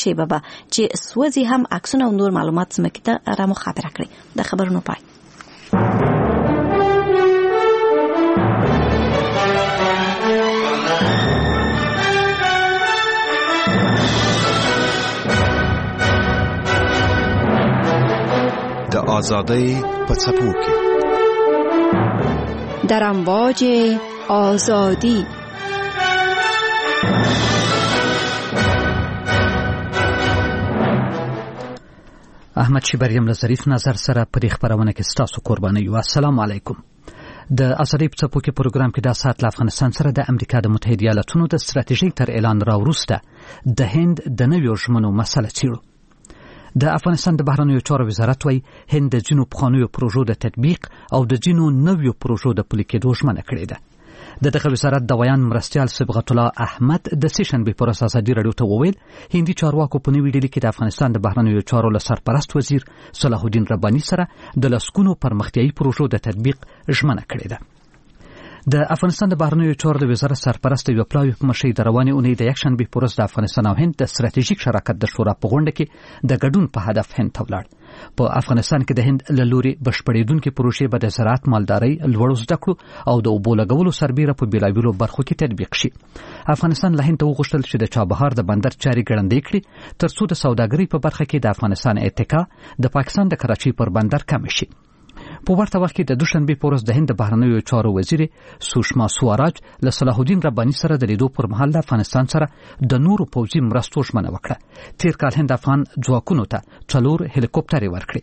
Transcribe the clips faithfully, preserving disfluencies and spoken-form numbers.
شیبه به چې سوځي هم عکسونه او نور معلومات ځمکې ته را مخابره کړي. د خبرونو پای. د آزادۍ په څپو کې، در امواج آزادی. احمد شیبر یم له ظریف نظر سره په دې خپرونه کې ستاسو قرباني یو. السلام علیکم. د ازادۍ په څپو کې پروګرام کې دا ساعت له افغانستان سره د امریکا د متحده ایالتونو د ستراتیژۍ تر اعلان را وروسته د هند د نویو ژمنو مسله څېړو. د افغانستان د بهرنیو چارو وزارت وایي هند د ځینو پخوانیو پروژو د تطبیق او د ځینو نویو پروژو د پلي کېدو ژمنه کړې ده. د دغه وزارت د ویاند مرستیال صبغت الله احمد د سې شنبې په ورځ ازادي راډیو ته وویل هندي چارواکو په نوي ډیلي کې د افغانستان د بهرنیو چارو له سرپرست وزیر صلاح الدین رباني سره د لسګونو پرمختیایي پروژو د تطبیق ژمنه کړې ده. د افغانستان د بهرنیو چارو د وزارت سرپرست یو پلاوي په مشرۍ د روانې اونۍ د یکشنبې په ورځ د افغانستان او هند د ستراتیژیک شراکت د شورا په غونډه کې د ګډون په هدف هند ته ولاړ. په افغانستان کې د هند له لوري بشپړېدونکې پروژې به د زراعت، مالدارۍ، لوړو زده کړو او د اوبو لګولو سربېره په بېلابېلو برخو کې تطبیق شي. افغانستان له هند ته وغوښتل چې د چابهار د بندر چارې ګړندۍ کړي ترڅو د سوداګرۍ په برخه کې د افغانستان اتکا د پاکستان د کراچۍ پر بندر کمه شي. په ورته وخت کې د دوشنبې په ورځ د هند د بهرنیو چارو وزیر سوشما سواراج له صلاح الدین رباني سره د لیدو پر مهال له افغانستان سره د نورو پوځي مرستو ژمنه وکړه. تیر کال هند افغان ځواکونو ته څلور هلیکوپټرې ورکړې.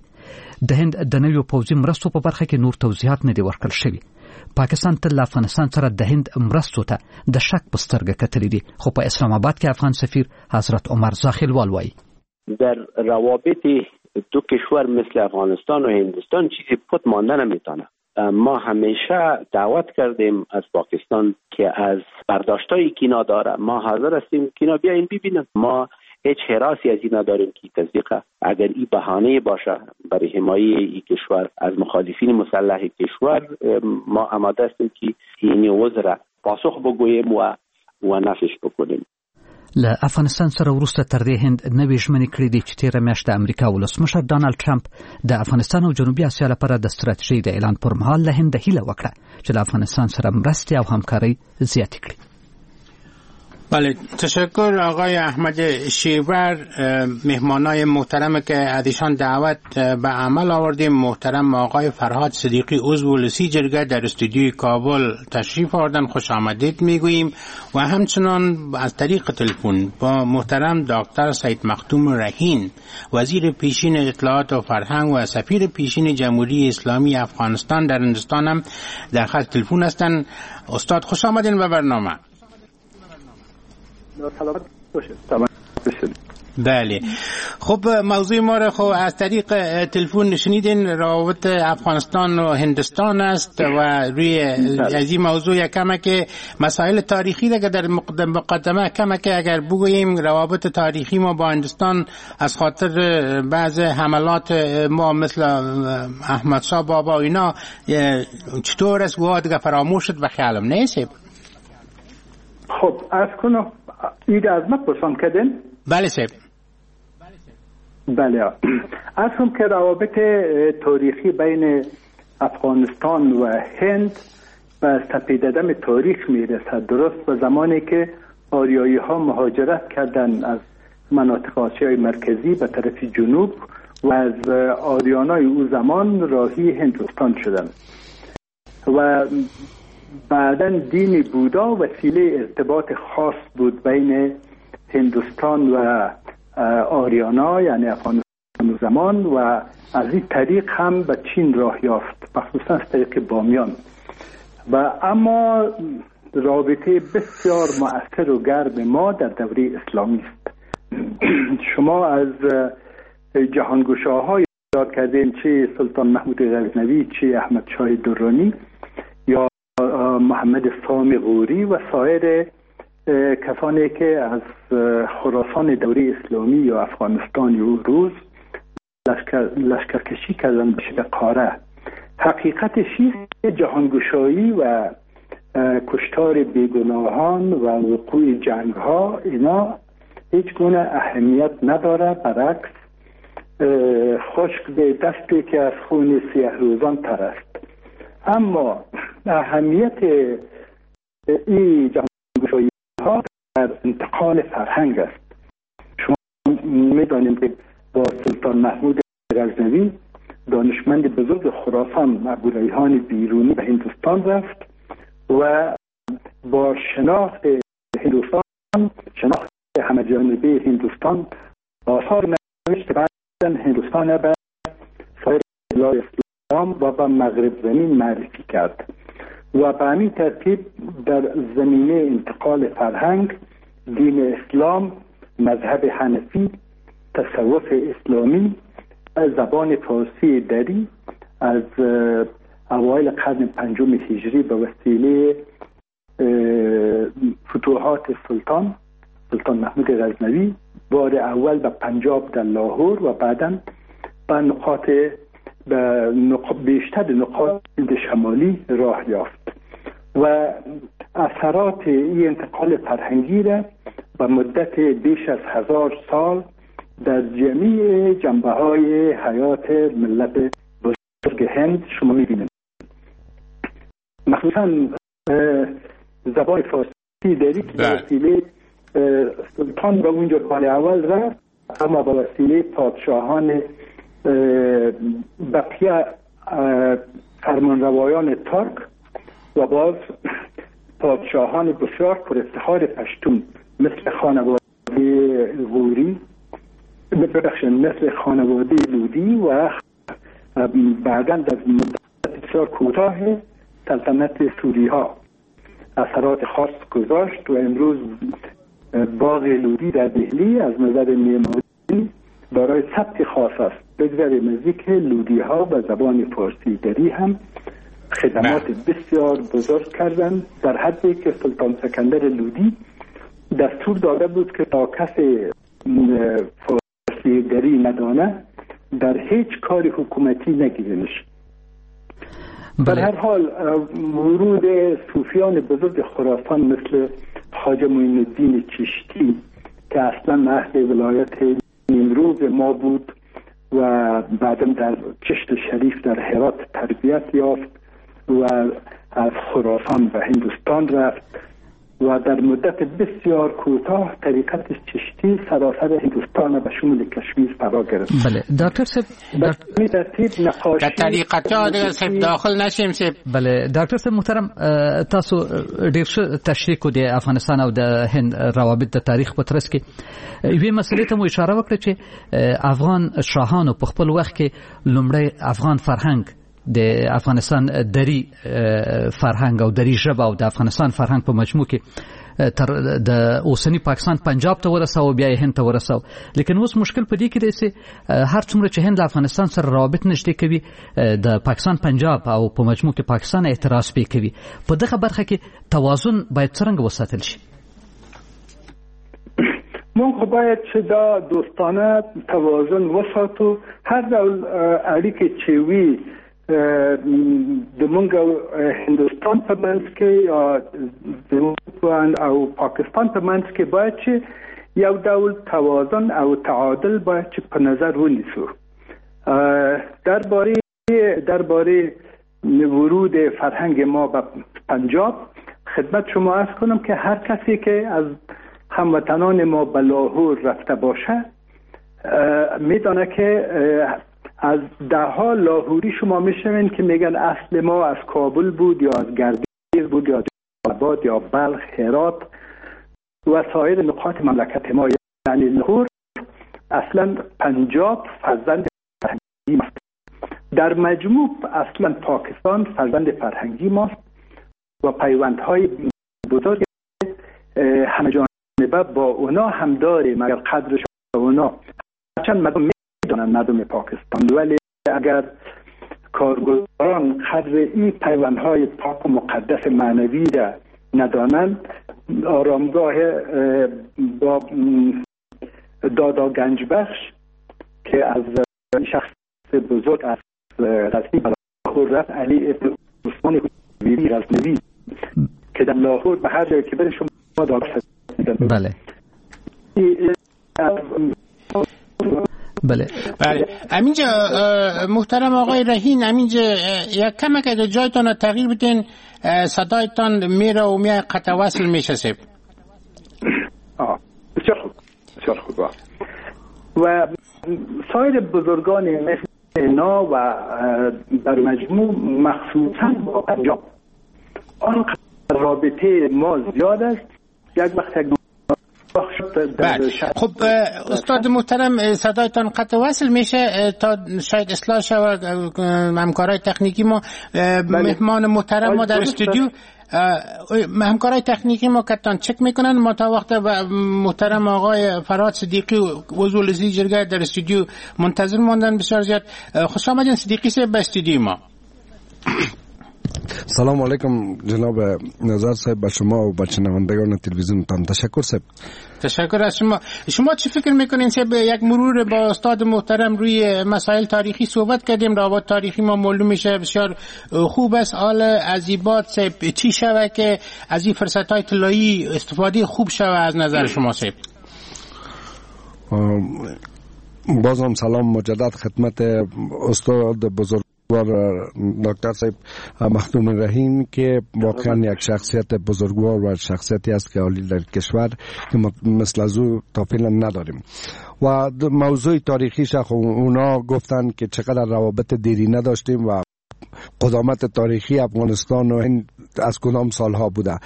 د هند د نویو پوځي مرستو په برخه کې نور توضیحات نه دي ورکړل شوي. پاکستان تل له افغانستان سره د هند مرستو ته د شک په سترګه کتلي دي، خو په اسلام آباد کې افغان سفیر حضرت عمر زاخیلوال وایي در روابط دو کشور مثل افغانستان و هندوستان چیزی پت مانده نمیتونه. ما همیشه دعوت کردیم از پاکستان که از برداشتایی که اینا داره ما حاضر هستیم که اینا بیاین ببینن. ما هیچ حراسی از اینا داریم که تصدیق اگر این بهانه باشه برای حمایه این کشور از مخالفین مسلح کشور، ما آماده هستیم که این وزرا پاسخ بگوییم و و نفش بکنیم. له افغانستان سره وروسته تر دې هند نوې ژمنې کړې دي چې تېره میاشت د امریکا ولسمشر ډونالد ټرمپ د افغانستان او جنوبي اسیا لپاره د ستراتیژۍ د اعلان پر مهال له هند هیله وکړه چې له افغانستان سره مرستې او همکارۍ زیاتې کړي. بله، تشکر آقای احمد شیور. مهمانای محترم که از ایشان دعوت به عمل آوردیم، محترم آقای فرهاد صدیقی عضو ولسی جرگه در استودیوی کابل تشریف آوردن، خوش آمدید میگوییم. و همچنان از طریق تلفن با محترم دکتر سید مختوم رهین، وزیر پیشین اطلاعات و فرهنگ و سفیر پیشین جمهوری اسلامی افغانستان در هندوستان هم در خط تلفن هستند. استاد خوش آمدین به برنامه. سلامت باشید. بله، خب موضوع ما را خب از طریق تلفن شنیدین، روابط افغانستان و هندوستان است و روی از این موضوع یکم که مسائل تاریخی را که در مقدمه کم که اگر بگوییم روابط تاریخی ما با هندوستان از خاطر بعض حملات ما مثل احمد شاه بابا و اینا چطور است و دیگه فراموش شد به خیالم نیست. خب از کنم ایده از ما پرسان کردن؟ بله صاحب. بله، از هم که روابط تاریخی بین افغانستان و هند به سپیددم تاریخ میرسد، درست به زمانی که آریایی ها مهاجرت کردند از مناطق آسیای مرکزی به طرف جنوب و از آریانای او زمان راهی هندوستان شدند و بعداً دین بودا وسیله ارتباط خاص بود بین هندوستان و آریانا، یعنی افغانستان زمان، و از این طریق هم به چین راه یافت، مخصوصا از طریق بامیان. و اما رابطه بسیار مؤثر و گرم ما در دوره اسلامی است. شما از جهانگشاها یاد کردین، چه سلطان محمود غزنوی، چه احمد شاه درانی یا محمد سام غوری و سایر کسانی که از خراسان دوره اسلامی یا افغانستان یا روز لشکر، لشکرکشی کردن به شکل قاره. حقیقتش است جهانگشایی و کشتار بیگناهان و وقوع جنگ ها اینا هیچ گونه اهمیت نداره، برعکس خشک به دستی که از خون سیه روزان تر است. اما اهمیت این جهانگشایی ها در انتقال فرهنگ است. شما میدانیم که با سلطان محمود غزنوی دانشمند بزرگ خراسان ابوریحان بیرونی به هندوستان رفت و با شناخت هندوستان، شناخت همه جانبه هندوستان، آثار نوشت بعداً هندوستان به سایر بلاد اسلام و به مغرب زمین معرفی کرد و به همین ترتیب در زمینه انتقال فرهنگ، دین اسلام، مذهب حنفی، تصوف اسلامی، زبان فارسی دری از اوایل قرن پنجم هجری به وسیله فتوحات سلطان سلطان محمود غزنوی بار اول به پنجاب در لاهور و بعداً به نقاط به نق... بیشتر نقاط شمالی راه یافت و اثرات این انتقال فرهنگی را به مدت بیش از هزار سال در جمیع جنبه های حیات ملت بزرگ هند شما می‌بینید. مخصوصا زبان فارسی دری که به وسیله سلطان به اونجا بار اول رفت، اما به وسیله پادشاهان بقیه فرمانروایان ترک و باز پادشاهان بسیار پر افتخار پشتون مثل خانواده غوری، ببخشید مثل خانواده لودی و بعداً در مدت بسیار کوتاه سلطنت سوری ها اثرات خاص گذاشت و امروز باغ لودی در دهلی از نظر معماری برای ثبت خاص است. بگذاریم از اینکه لودی ها به زبان فارسی دری هم خدمات بسیار بزرگ کردند، در حدی که سلطان سکندر لودی دستور داده بود که تا کسی فارسی دری ندانه در هیچ کار حکومتی نگیرنش. در هر حال ورود صوفیان بزرگ خراسان مثل خواجه معین الدین چشتی که اصلا اهل ولایت نیمروز ما بود و بعدم در چشت شریف در هرات تربیت یافت و از خراسان به هندوستان رفت و در مدت بسیار کوتاه طریقت چشتی سراسر هندوستان به شمول کشمیر فرا گرفت. بله دکتر صاحب، در نقاشی در طریقت ها دیگه صاحب داخل نشیم صاحب. بله دکتر صاحب محترم، تاسو ډیر ښه تشریح کو د افغانستان او د هند روابط د تاریخ په ترڅ کې. یوې مسلې ته مو اشاره وکړه چې افغان شاهانو په خپل وخت کې لومړی افغان فرهنګ، د افغانستان دری فرهنګ او دری ژبه او د افغانستان فرهنګ په مجموع کې تر د اوسنی پاکستان پنجاب ته ورساو، بیا هند ته ورساو. لیکن اوس مشکل په دې کې دی چې هر څومره چې هند له افغانستان سره روابط نږدې کوي، د پاکستان پنجاب او په مجموع کې پاکستان اعتراض پې کوي. په دغه برخه کې توازن باید څرنګه وساتل شي؟ موږ باید چې دا دوستانه توازن وساتو. هر ډول اړیکې چې وي د مونږ هندوستان په منځ کې یا د او پاکستان په منځ کې باید چې یو ډول توازن او تعادل باید چې په نظر ونیسو. درباره درباره ورود فرهنگ ما به پنجاب خدمت شما عرض کنم که هر کسی که از هموطنان ما به لاهور رفته باشه میدانه که از ده ها لاهوری شما میشنوین که میگن اصل ما از کابل بود یا از گردیز بود یا آباد یا بلخ، هرات و سایر نقاط مملکت ما. یعنی لاهور اصلا پنجاب فرزند فرهنگی ماست. در مجموع اصلا پاکستان فرزند فرهنگی ماست و پیوندهای بزرگ همه جانبه با اونا هم داریم. اگر قدرش اونا، هرچند مردم میدانند مردم پاکستان، ولی اگر کارگزاران قدر این پیوندهای پاک و مقدس معنوی را ندانند، آرامگاه با دادا گنج بخش که از شخص بزرگ از غزنی به لاهور رفت، علی ابن عثمان ویری غزنوی که در لاهور به هر جایی که بره شما دادا. بله بله بله. همینجا محترم آقای رهین، همینجا یک کم که جایتان تغییر بدین، صدایتان میره و میای قطع وصل میشه سیب. آه بسیار خوب، بسیار خوب. و سایر بزرگان مثل اینا و در مجموع مخصوصا با پنجاب آن رابطه ما زیاد است. یک وقت یک بله. خب استاد محترم صدایتان قطع وصل میشه تا شاید اصلاح شود همکارای تکنیکی ما. مهمان محترم ما در استودیو، همکارای تکنیکی ما کتان چک میکنن. ما تا وقت محترم آقای فرهاد صدیقی عضو لجنه جرگه در استودیو منتظر ماندن. بسیار زیاد خوش آمدین صدیقی صاحب به استودیو ما. سلام علیکم جناب نظر صاحب، به شما و به شنوندگان تلویزیون تان تشکر صاحب. تشکر از شما. شما چی فکر میکنین صاحب؟ یک مرور با استاد محترم روی مسائل تاریخی صحبت کردیم، روابط تاریخی ما معلوم میشه بسیار خوب است. حال از این بعد صاحب چی شوه که از این فرصت های طلایی استفاده خوب شوه از نظر شما صاحب؟ بازم سلام مجدد خدمت استاد بزرگ دکتر صاحب مخدوم رهین که واقعا یک شخصیت بزرگوار و شخصیتی است که عالی در کشور که مثل از او تا فعلا نداریم. و موضوع تاریخیش اونا گفتن که چقدر روابط دیرینه داشتیم و قدامت تاریخی افغانستان و هند از کدام سالها بوده.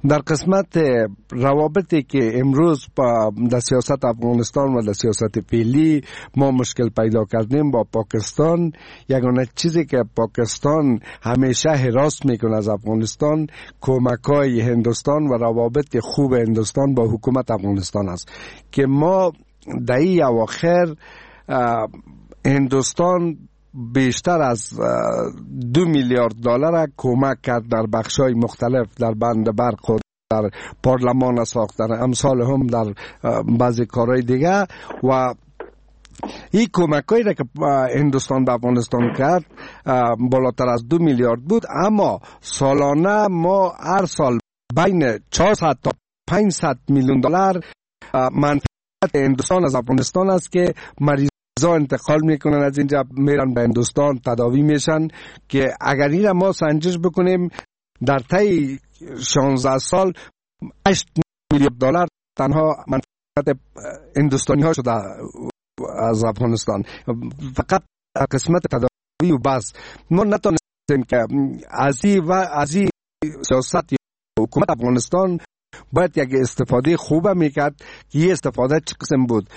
در قسمت روابطی که امروز با در سیاست افغانستان و در سیاست فعلی ما مشکل پیدا کردیم با پاکستان، یگانه چیزی که پاکستان همیشه هراس میکنه از افغانستان کمک‌های هندوستان و روابط خوب هندوستان با حکومت افغانستان است که ما در این اواخر هندوستان بیشتر از دو میلیارد دلار کمک کرد در بخش‌های مختلف، در بند برق و در پارلمان ساخت، در امثال هم در بعضی کارهای دیگه. و این کمک‌هایی را که هندوستان به افغانستان کرد بالاتر از دو میلیارد بود، اما سالانه ما هر سال بین چهارصد تا پانصد میلیون دلار منفعت هندوستان از افغانستان است که مریض انتقال میکنن از اینجا میرن به هندوستان تداوی میشن، که اگر این ما سنجش بکنیم در طی شانزده سال هشت میلیارد دلار تنها منفعت هندوستانی ها شده از افغانستان، فقط قسمت تداوی و بس. ما نتونستیم که از این و از این سیاست حکومت افغانستان باید یک استفاده خوب میکرد که این استفاده چه قسم بود.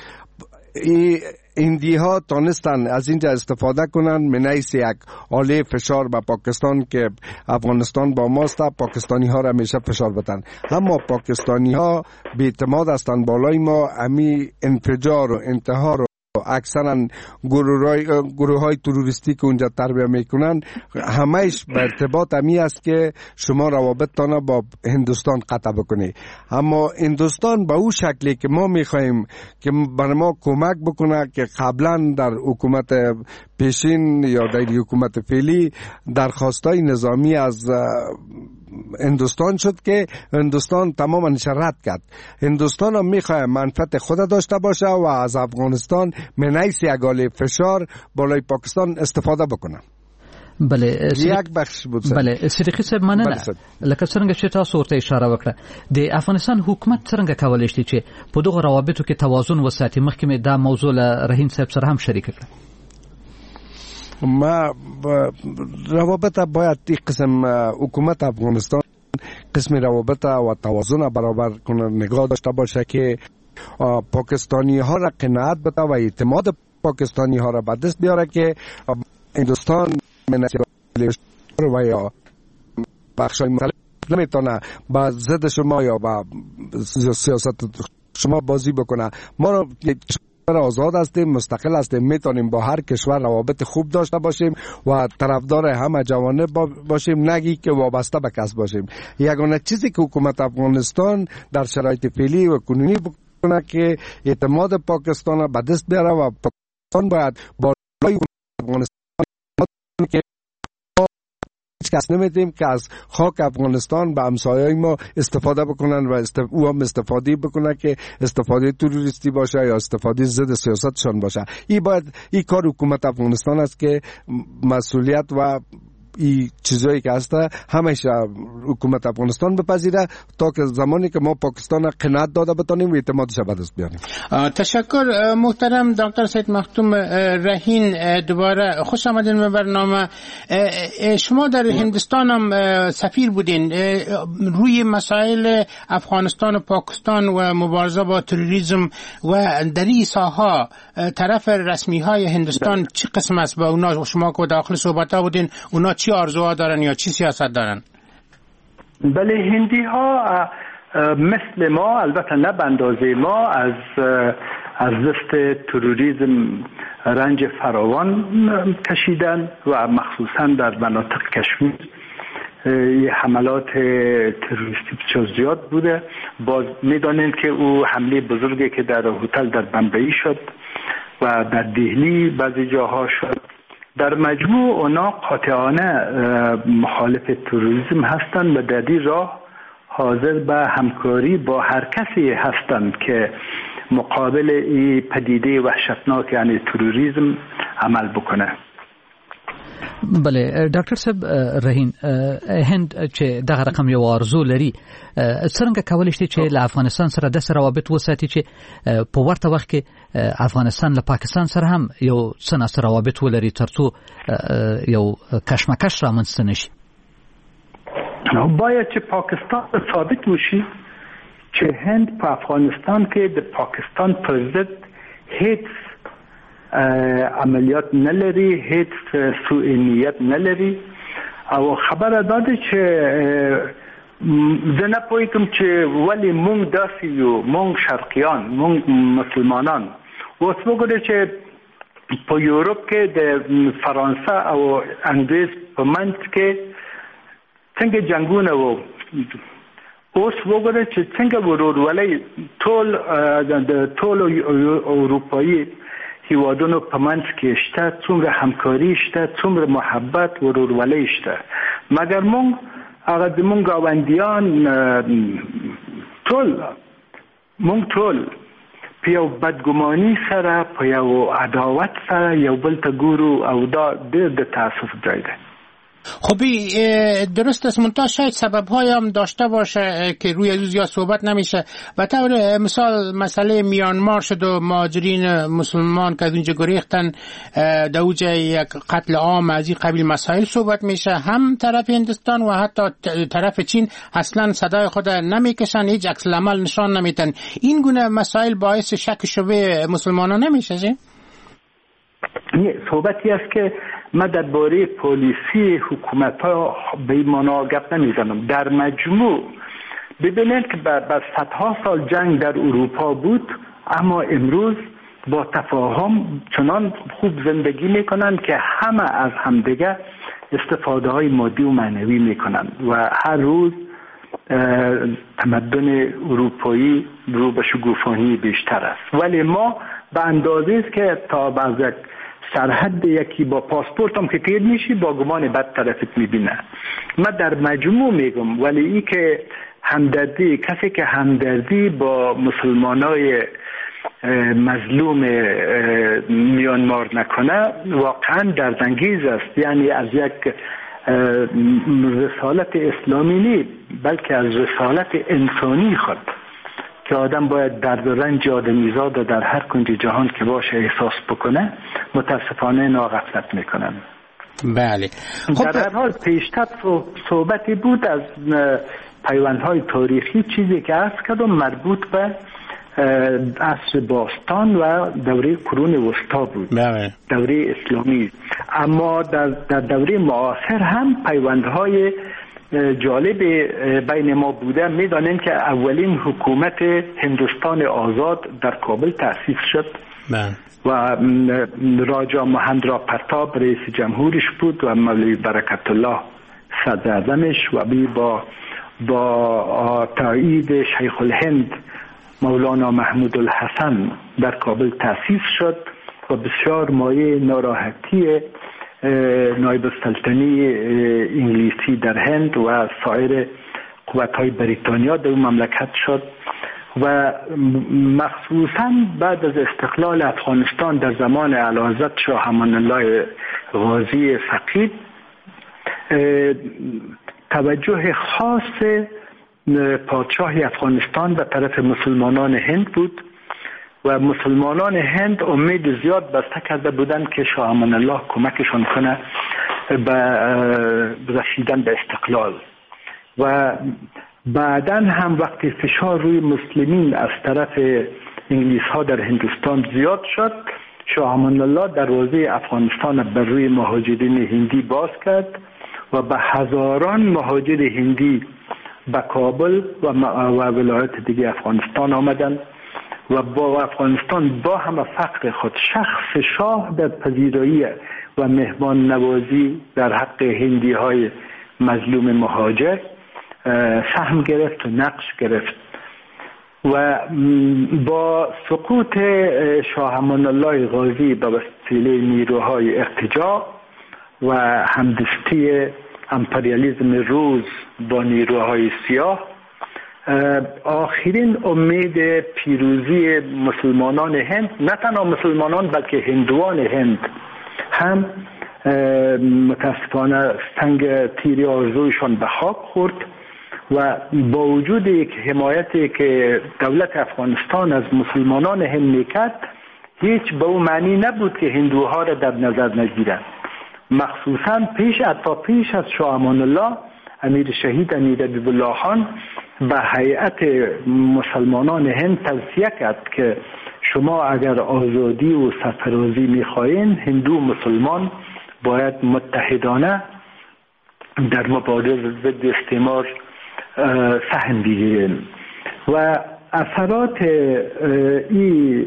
هندی ها تانستن از اینجا استفاده کنن منیس یک آله فشار به پاکستان که افغانستان با ماست، پاکستانی ها را میشه فشار بدن، اما پاکستانی ها بی اعتماد هستند بالای ما. امی انفجار و انتحار و اکثرا گروه های تروریستی که اونجا تربیه میکنن همهش به ارتباط همی است که شما روابطتان با هندوستان قطع بکنی. اما هندوستان به او شکلی که ما میخواهیم که بر ما کمک بکنه که قبلا در حکومت پیشین یا در حکومت فعلی درخواستای نظامی از هندوستان شد که هندوستان تماما رد کرد. هندوستان هم میخواه منفعت خود داشته باشه و از افغانستان منیس یک آله فشار بالای پاکستان استفاده بکنه. بله یک بخش بود. بله صدیقی صاحب مننه. لکه څنګه چې تاسو ورته اشاره وکړه د افغانستان حکومت څنګه کولای شي چې په دغو روابطو کې توازن وساتي؟ مخکې مې دا موضوع له رهین صاحب سره هم شریک کړه. ما روابط باید این قسم حکومت افغانستان قسم روابط و توازن برابر کنه، نگاه داشته باشه که پاکستانی ها را قناعت بده و اعتماد پاکستانی ها را به دست بیاره که هندوستان و یا بخش های مختلف نمیتونه با ضد شما یا با سیاست شما بازی بکنه. ما را آزاد هستیم، مستقل هستیم، میتونیم با هر کشور روابط خوب داشته باشیم و طرفدار همه جوانب باشیم، نگی که وابسته به کس باشیم. یگانه چیزی که حکومت افغانستان در شرایط فعلی و کنونی بکنه که اعتماد پاکستان به دست بیاره و پاکستان باید بالای افغانستان که کس نمیدیم که از خاک افغانستان به همسایه‌های ما استفاده بکنن و است... او هم استفاده بکنن که استفاده تروریستی باشه یا استفاده ضد سیاستشان باشه. این باید این کار حکومت افغانستان است که مسئولیت و این چیزایی که هست همیشه حکومت افغانستان بپذیره تا که زمانی که ما پاکستان قناعت داده بتانیم و اعتمادش به دست بیاریم. تشکر محترم دکتر سید مختوم رهین، دوباره خوش آمدین به برنامه. شما در هندستان هم سفیر بودین، روی مسائل افغانستان و پاکستان و مبارزه با تروریسم و در این ساحه طرف رسمی های هندستان چه قسم است؟ با اونا شما که داخل صحبت ها بودین، اونا چی آرزوها دارن یا چی سیاست دارن؟ بله، هندی ها مثل ما، البته نه به اندازه ما، از از دست تروریسم رنج فراوان کشیدن و مخصوصا در مناطق کشمیر حملات تروریستی بسیار زیاد بوده. باز میدانیم که او حمله بزرگی که در هتل در بمبئی شد و در دهلی بعضی جاها شد. در مجموع اونا قاطعانه مخالف تروریسم هستند و در این راه حاضر به همکاری با هر کسی هستند که مقابل این پدیده وحشتناک یعنی تروریسم عمل بکنه. بله ډاکټر صاحب رهین، هند چې دغه رقم یو آرزو لري، څنګه کولی شي چې له افغانستان سره داسې روابط وساتي چې په ورته وخت کې افغانستان له پاکستان سره هم یو څه ناڅه روابط ولري ترڅو یو کشمکش رامنځته نشي؟ باید چې پاکستان ثابت وشي چې هند په افغانستان کې د پاکستان پر ضد هیڅ عملیات نلري، هیڅ سوء نیت نلري. او خبره دا ده چې زه نه پوهېږم چې ولې مونږ داسې یو، مونږ شرقیان، مونږ مسلمانان. اوس وګورئ چې په یورپ کې د فرانسه او انګلیس په منځ کې څنګه جنگونه وو. اوس وګورئ چې څنګه ورورولۍ ټول د ټولو اروپایي هیوادونو په منځ کې شته، څومره همکاري شته، څومره محبت ورورولۍ شته. مګر مونږ هغه زمونږ ګاونډیان ټول مونږ ټول په یو بدګماني سره، په یو عداوت سره یو بل ته ګورو او دا ډېر د تاسف ځای دی. خب درست است، منتها شاید سبب‌های هم داشته باشه که روی از زیاد صحبت نمیشه. به طور مثال مسئله میانمار شد و مهاجرین مسلمان که از اونجا گریختن، در اوج یک قتل عام از این قبیل مسائل صحبت میشه. هم طرف هندستان و حتی طرف چین اصلا صدای خود نمیکشن، هیچ عکس العمل نشان نمیتن. این گونه مسائل باعث شک شبه مسلمانان نمیشه؟ نه، صحبتی است که من درباره پالیسی حکومت ها به معنا گپ نمیزنم. در مجموع ببینید که بر صدها سال جنگ در اروپا بود، اما امروز با تفاهم چنان خوب زندگی میکنند که همه از همدیگه استفاده های مادی و معنوی میکنند و هر روز تمدن اروپایی رو به شگوفانی بیشتر است. ولی ما به اندازه است که تا بعض یک سرحد یکی با پاسپورت هم که تیر میشی با گمان بد طرفت میبینه. من در مجموع میگم، ولی ای که همدردی، کسی که همدردی با مسلمانای مظلوم میانمار نکنه واقعا دردانگیز است. یعنی از یک رسالت اسلامی نی، بلکه از رسالت انسانی خود که آدم باید درد و رنج آدمیزاد در هر کنج جهان که باشه احساس بکنه، متاسفانه ناغفلت میکنن. بله. خب در هر حال پیشتر صحبتی بود از پیوندهای تاریخی، چیزی که عرض کردم مربوط به عصر باستان و دوره قرون وسطا بود. بله. دوره اسلامی. اما در, در دوره معاصر هم پیوندهای جالب بین ما بوده. میدانیم که اولین حکومت هندوستان آزاد در کابل تأسیس شد. بله. و راجا مهندرا پرتاب رئیس جمهورش بود و مولوی برکت الله صدر اعظمش و بی با با تایید شیخ الهند مولانا محمود الحسن در کابل تأسیس شد و بسیار مایه ناراحتی نایب السلطنه انگلیسی در هند و سایر قوت‌های بریتانیا در مملکت شد و مخصوصا بعد از استقلال افغانستان در زمان اعلیحضرت شاه امان الله غازی فقید توجه خاص پادشاه افغانستان به طرف مسلمانان هند بود و مسلمانان هند امید زیاد بسته کرده بودند که شاه امان الله کمکشان کنه به رسیدن به استقلال. و بعداً هم وقتی فشار روی مسلمین از طرف انگلیس ها در هندوستان زیاد شد، شاه امان الله دروازه افغانستان بر روی مهاجرین هندی باز کرد و به هزاران مهاجر هندی به کابل و ولایت دیگه افغانستان آمدند و با افغانستان با همه فقر خود شخص شاه در پذیرایی و مهمان نوازی در حق هندی های مظلوم مهاجر سهم گرفت و نقش گرفت. و با سقوط شاه امان الله غازی به وسیله نیروهای ارتجاع و همدستی امپریالیسم روز با نیروهای سیاه، آخرین امید پیروزی مسلمانان هند، نه تنها مسلمانان بلکه هندوان هند هم متاسفانه سنگ تیر آرزویشان به خاک خورد و با وجود یک حمایتی که دولت افغانستان از مسلمانان هند میکرد، هیچ به او معنی نبود که هندوها را در نظر نگیرند. مخصوصا پیش تا پیش از شاه امان الله، امیر شهید امیر حبیب الله خان به هیئت مسلمانان هند توصیه کرد که شما اگر آزادی و سرفرازی میخواهین، هندو مسلمان باید متحدانه در مبارزه ضد استعمار سهم بگیریم. و اثرات این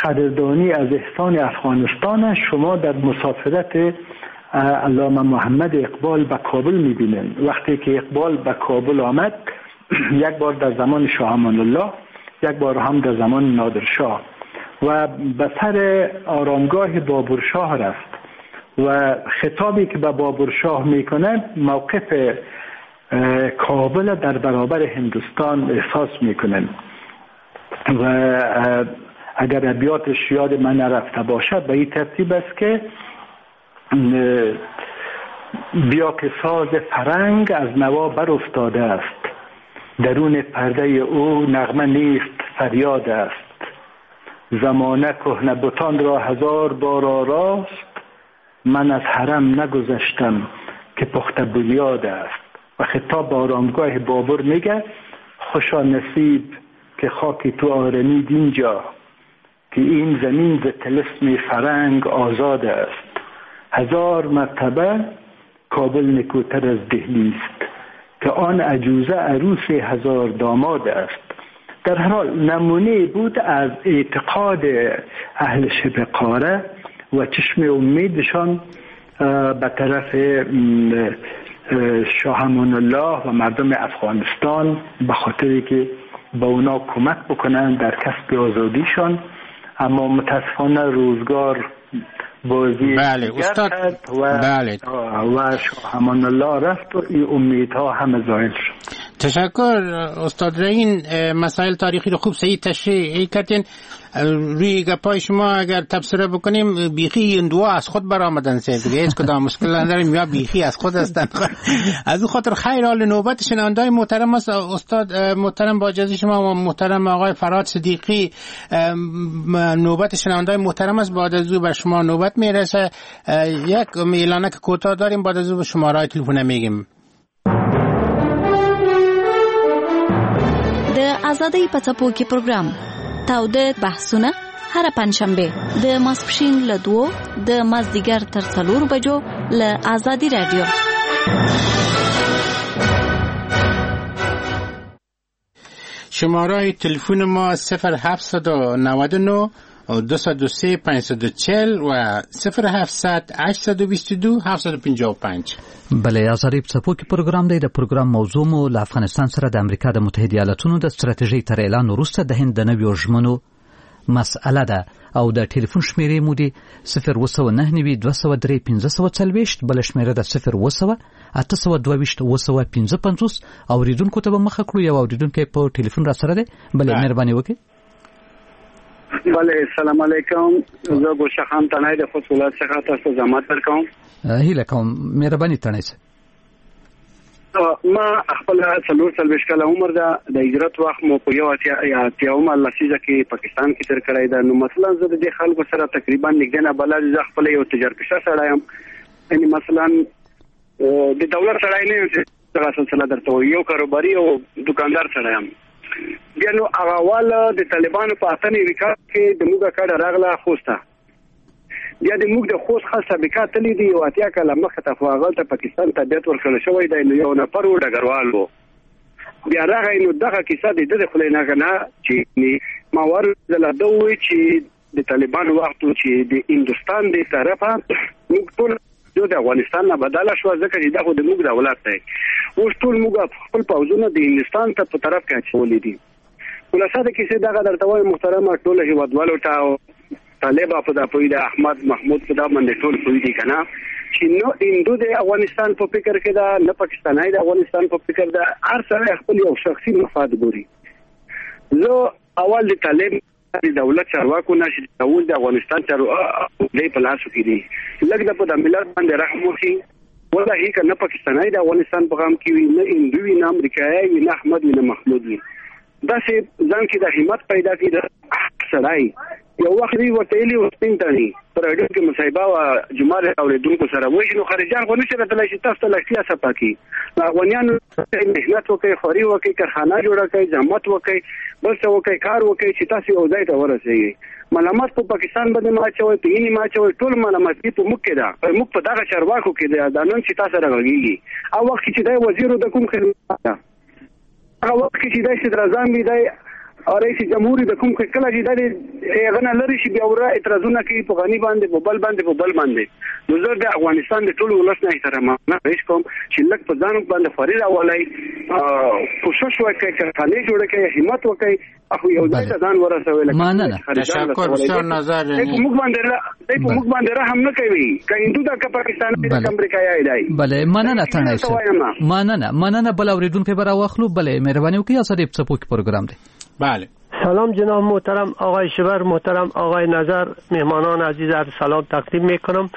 قدردانی از احسان افغانستان شما در مسافرت علامه محمد اقبال به کابل میبینین. وقتی که اقبال به کابل آمد، یک بار در زمان شاه امان الله، یک بار هم در زمان نادرشاه، و به سر آرامگاه بابرشاه رفت و خطابی که به بابرشاه میکنه موقف کابل در برابر هندوستان احساس میکنه. و اگر ابیاتش یاد من نرفته باشد به این ترتیب است که بیا که ساز فرنگ از نوا بر افتاده است، درون پرده او نغمه نیست فریاد است، زمانه کهنه بتان را هزار بار آراست، من از حرم نگذشتم که پخته بنیاد است. و خطاب به آرامگاه بابر میگه خوشا نصیب که خاک تو آرمید اینجا، که این زمین ز طلسم فرنگ آزاد است، هزار مرتبه کابل نکوتر از دهلی است، که آن عجوزه عروس هزار داماد است. در هر حال نمونه بود از اعتقاد اهل شبه قاره و چشم امیدشان به طرف شاه امان الله و مردم افغانستان، به خاطری که با اونا کمک بکنن در کسب آزادیشان. اما متاسفانه روزگار بازی بله استاد و بله. و شاه امان الله رفت و این امیدها همه زایل شد. تشکر استاد رهین، مسائل تاریخی رو خوب صحیح تشریح کردین. روی گپای شما اگر تبصره بکنیم، بیخی این دو از خود برآمدن سه دیگه هیچ کدام مشکل نداریم، یا بیخی از خود هستن. از او خاطر خیر حال نوبت شنوندای محترم است. استاد محترم با اجازه شما و محترم آقای فرهاد صدیقی، نوبت شنوندای محترم است. بعد از او بر شما نوبت میرسه. یک اعلانک کوتاه داریم، بعد از او به شماره تلفن میگیم. د ازادۍ په څپو کې پروګرام تاوده بحثونه هره پنجشنبه د ماسپښین له دوو د مازدیګر تر څلورو بجو له ازادي رادیو. شماره تلفن ما صفر هفت نه نه دو صفر سه پنج چهار و صفر هفت هشت دو دو هفت پنج پنج. بله، ازادي په څپو کې پروګرام دی. د پروګرام موضوع مو له افغانستان سره د امریکا د متحده ایالتونو د ستراتیژۍ تر اعلان وروسته د هند د نویو ژمنو مسئله ده. او د ټلیفون شمیرې مو دي صفر اووه سوه نهه نوي دوه سوه درې پنځه سوه څلوېښت، بله شمیره ده صفر اووه سوه اته سوه دوه ویشت اووه سوه پنځه پنځوس. اورېدونکو ته به مخه کړو، یو اورېدونکی په ټلیفون را سره دی. بله مهرباني وکړئ. بله السلام علیکم، زه ګلشاه خان تڼی د خوست ولایت څخه تاسو ته زحمت درکوم. هیله کوم مهرباني تڼی صاحب. ما خپل څلور څلوېښت کاله عمر ده، د هجرت وخت مو په یو اتیا اتیاومه لسیزه کې پاکستان کې تېر کړی ده. نو مثلا زه د دې خلکو سره تقریبا نږدې نه بلد، زه خپل یو تجارتپېشه سړی یم، یعنې مثلا د دولت سړی نه یم چې دغه سلسله درته ووایم، یو کاروباري او دوکاندار سړی یم. بیا نو هغه اول د طالبانو په اته نوي کال کې د موږ کډه راغله خوست ته، بیا د موږ د خوست خاص سابقه تللې دي یو اتیا کاله مخته ته، خو هغلته پاکستان تابعیت ورکړل شوی دی. نو یو نفر و ډګروال و، بیا راغی. نو دغه کیسه د ده د خولې نه نه چې ما ورځله ده وویل چې د طالبانو وخت و چې د هندوستان د طرفه موږ ټول د افغانستان نه بدله شوه، ځکه چې دا خو د موږ دولت دی. اوس ټول موږ خپل پوځونه د هندوستان ته په طرف کې اچولي دي. خلاصه د کیسې دغه درته وایم محترمه ټولو هېوادوالو ته، طالب په دا پوهېده، احمد محمود په دا باندې ټول پوه دي که نه چې نو هندو د افغانستان په فکر کې ده، نه پاکستانی د افغانستان په فکر ده، هر سړی خپل یو شخصي مفاد ګوري. زه اول د طالب د دولت چارواکو نه چې اوس د افغانستان چارواکو دی په لاسو کې دي، لږ د په د ملت باندې رحم وکړي. والله که نه پاکستانی د افغانستان په غم کې وي، نه هندو وي، نه امریکایی وي، نه احمد وي، نه محمود وي. داسې ځان کې د همت پیدا کړي د سړی. یو وخت دوی ورته ویلي وو سپین تڼي په راډیو کې مصاحبه وه جمعه له اورېدونکو سره، وایي چې نو خارجیان خو نه شي راتلی چې تاسو ته لښتیا صفا کړي. افغانیانو محنت وکړئ، خواري وکړئ، کارخانه جوړه کړئ، زحمت وکړئ، بل څه وکړئ، کار وکړئ چې تاسو یو ځای ته ورسېږئ. ملامت په پاکستان باندې مه اچوئ، په هند مه اچوئ، ټول ملامتي په موږ کې ده، موږ په دغه چارواکو کې ده دا نن چې تاسو سره غږېږي. او وخت کې چې دی وزیر د کوم خدمت ده، هغه وخت کې چې دی صدراعظم وي، دی رئیس جمهور د کوم کله چې د هغه نه لري شي بیا ورا اعتراضونه کوي په غني باندې، په بل باندې، په بل باندې. نو زه د افغانستان د ټولو ولس نه احترامانه خواهش کوم چې لږ په ځان باندې خواري راولئ، کوشش وکړئ، کارخانې جوړې کړئ، همت وکړئ، خو یو ځای ته ځان ورسوئ. مننه، تشکر بسیار نظر. دی په موږ باندې دی په موږ باندې رحم نه کوي، که هندو ده که پاکستانی ده که امریکایی دی. بله مننه تڼی صاحب، مننه مننه. بل اورېدونکی به راواخلو. بله مهرباني وکړئ، ازادي په څپو کې پروګرام دی. بله سلام جناب محترم آقای شبر، محترم آقای نظر، مهمانان عزیز عرض سلام تقدیم میکنم.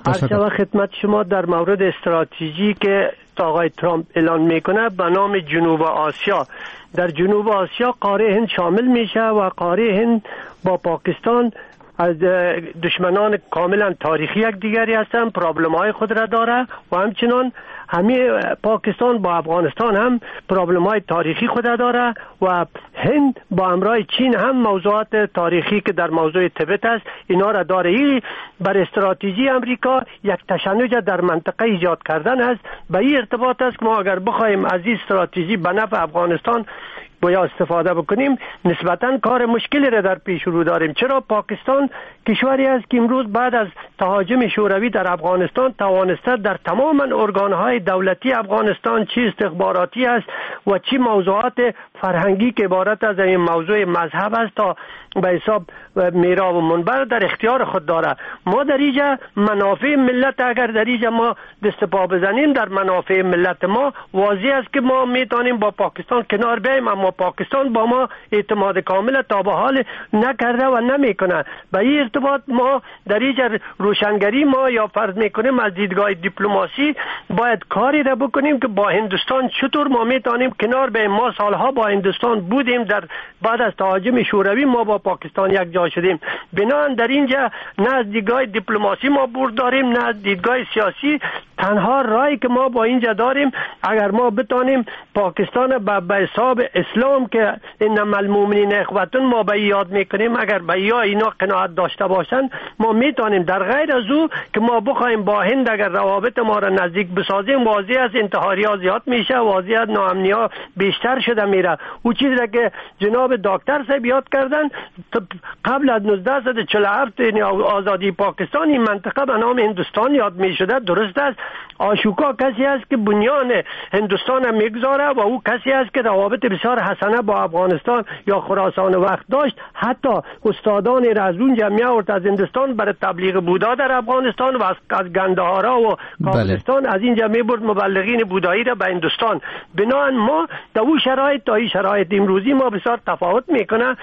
عرض شود خدمت شما در مورد استراتژی که آقای ترامپ اعلان میکنه به نام جنوب آسیا. در جنوب آسیا قاره هند شامل میشه و قاره هند با پاکستان از دشمنان کاملا تاریخی یک دیگری هستند، problem های خود را داره و همچنان همه پاکستان با افغانستان هم problem های تاریخی خود را داره و هند با همراه چین هم موضوعات تاریخی که در موضوع تبت است اینا را داره. این بر استراتژی امریکا یک تشنج در منطقه ایجاد کردن است. به این ارتباط است که ما اگر بخواهیم از این استراتژی به نفع افغانستان باید استفاده بکنیم، نسبتاً کار مشکلی را در پیش رو داریم. چرا پاکستان کشوری است که امروز بعد از تهاجم شوروی در افغانستان توانسته در تمام ارگان‌های دولتی افغانستان چی استخباراتی است و چی موضوعات فرهنگی که عبارت از این موضوع مذهب است تا به حساب میرا و منبر در اختیار خود داره. ما در اینجا منافع ملت اگر در اینجا ما دست پا بزنیم در منافع ملت ما واضح است که ما میتونیم با پاکستان کنار بیاییم، اما پاکستان با ما اعتماد کامل تا به حال نکرده و نمیکنه. به این ارتباط ما در اینجا روشنگری ما یا فرض میکنیم از دیدگاه دیپلماسی باید کاری را بکنیم که با هندوستان چطور ما میتونیم کنار بیاییم. ما سالها با هندوستان بودیم، در بعد از تهاجم شوروی ما با پاکستان یک جا شدیم. بنابراین در اینجا نه از دیدگاه دیپلماسی ما برد داریم نه از دیدگاه سیاسی. تنها راهی که ما با اینجا داریم اگر ما بتانیم پاکستان به حساب اسلام که انما المؤمنین اخوتون ما به یاد میکنیم، اگر به یا اینا قناعت داشته باشن ما میتونیم. در غیر از او که ما بخوایم با هند اگر روابط ما را نزدیک بسازیم واضح از انتحاری ها زیاد میشه، واضح از ناامنی ها بیشتر شده میره. او چیزی را که جناب دکتر صاحب یاد کردن قبل از نوزده چهل و هفت یعنی آزادی پاکستان این منطقه به نام هندوستان یاد میشده، درست است، آشوکا کسی است که بنیان هندوستان میگذاره و او کسی است که روابط بسیار حسنه با افغانستان یا خراسان وقت داشت. حتی استادان را از اونجا می آورد از هندوستان برای تبلیغ بودا در افغانستان و از گندهارا و کابلستان از اینجا می برد مبلغین بودایی را به هندوستان. بنابراین ما در او شرایط تا این شرایط امروزی ما بسیار تفاوت میکنه.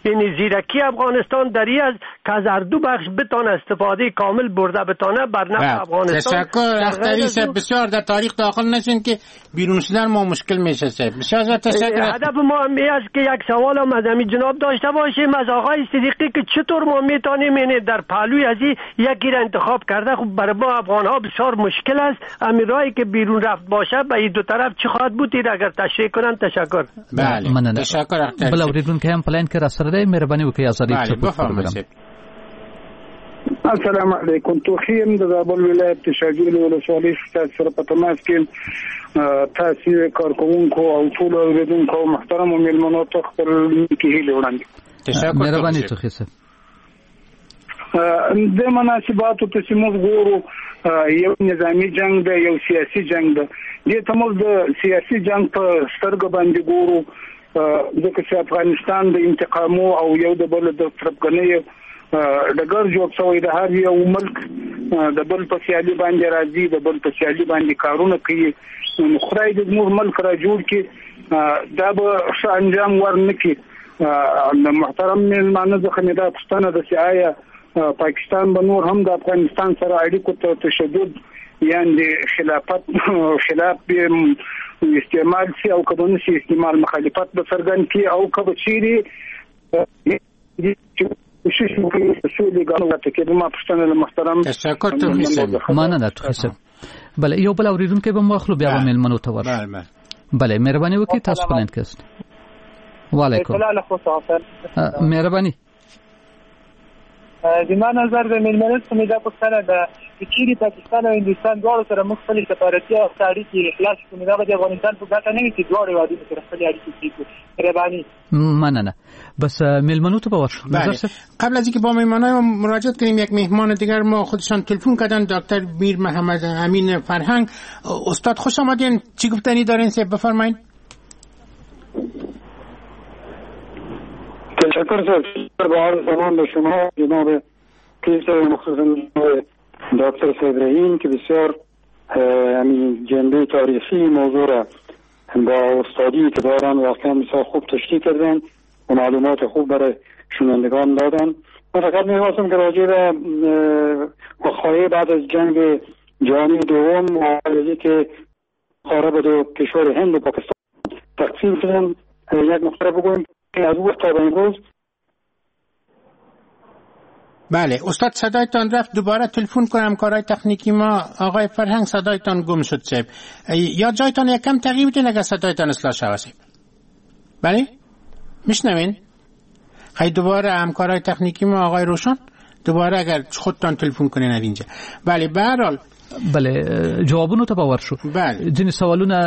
یعنی زیرکی افغانستان در این از که از هر دو بخش بتانه استفاده کامل برده بتانه بر نفع افغانستان. تشکر اختری صاحب، بسیار در تاریخ داخل نشین که بیرون شدن ما مشکل میشه صاحب. بسیار تشکر. هدف ما هم است که یک سوال هم از همین جناب داشته باشیم از آقای صدیقی که چطور ما میتونیم یعنی در پهلوی از یکی را انتخاب کرده. خب برای ما افغان ها بسیار مشکل است همین راهی که بیرون رفت باشه به این دو طرف چی خواهد بود، اگر تشریح کنن تشکر. بله مننه، تشکر اختری. بل اوریدونکی هم په لاین کې راسره دی، مهرباني وکړئ ازادي بفرمایئ. السلام علیکم، توخی یم د زابل ولایت د شاګیل ولسوالۍ ستاسو سره په تماس کې تاسو کارکوونکو او ټولو اورېدونکو او محترمو مېلمنو ته خپل نیکې هیلې وړاندې. تشکر، مهرباني توخی صاحب. د مناسباتو ته چې موږ ګورو یو نظامی جنگ دی، یو سیاسي جنگ دی. دې ته موږ د سیاسي جنگ په سترګه باندې ګورو، ځکه چې افغانستان د انتقامو او یو د بل د تربګنۍ ډګر جوړ شوی د هر یو ملک د بل په سیالي باندې راځي، د بل په سیالي باندې کارونه کوي. نو خدای دې زموږ ملک را جوړ کړي، دا به ښه انجام ورنکړي. محترم مېلمانه څخه مې دا پوښتنه ده چې آیا پاکستان به نور هم د افغانستان سره اړیکو ته تشدد یعنې خلافت خلاف به استعمال شي او که به نه شي استعمال، مخالفت به څرګند کړي او که به چیرې کوشش وکړي سولې ګامونه ته کې؟ ما پوښتنه له محترم. تشکر توخی صاحب، مننه توخی صاحب. بله یو بل اوریدونکی به مو اخلو بیا به مېلمنو ته ورشو. بله مهرباني وکړئ، تاسو په لاین کې یاست. وعلیکم مهرباني. زما نظر د مېلمنو څخه مې دا پوښتنه ده که چیرې پاکستان او هندوستان دواړو سره موږ خپلې سفارتي او اړیکې خلاص کړو، نو دا به د افغانستان په ګټه نه وي چې دواړو هېوادونو سره خپلې اړیکې پرې کړو؟ مهرباني. مننه. بس مېلمنو ته به ورشو. بله. قبل از اینکه با مهمانای ما مراجعت کنیم، یک مهمان دیگر ما خودشان تلفن کردن، دکتر میر محمد امین فرهنگ. استاد خوش آمدین، چی گفتنی دارین صاحب؟ بفرمایید. تشکر صاحب، با عرض سلام به شما جناب کیسه مخصوصا دکتر صاحب رحیم که بسیار همین جنبه تاریخی موضوع را با استادی که دارن واقعا بسیار خوب تشریح کردن و معلومات خوب برای شنوندگان دادن. من فقط میخواستم که راجع به وقایع بعد از جنگ جهانی دوم و که قاره به دو کشور هند و پاکستان تقسیم شدن یک نقطه بگویم که از وقت تا به امروز. بله استاد صدایتان رفت، دوباره تلفن کنم کارهای تکنیکی ما. آقای فرهنگ صدایتان گم شد صاحب، یا جایتان یکم تغییر بدین اگر صدایتان اصلاح شود صاحب. بله میشنوین؟ خیلی دوباره همکارای تکنیکی ما آقای روشن دوباره اگر خودتان تلفن کنین از اینجا. بله به هر حال بله جوابونو ته به ورشو. بله ځینې سوالونه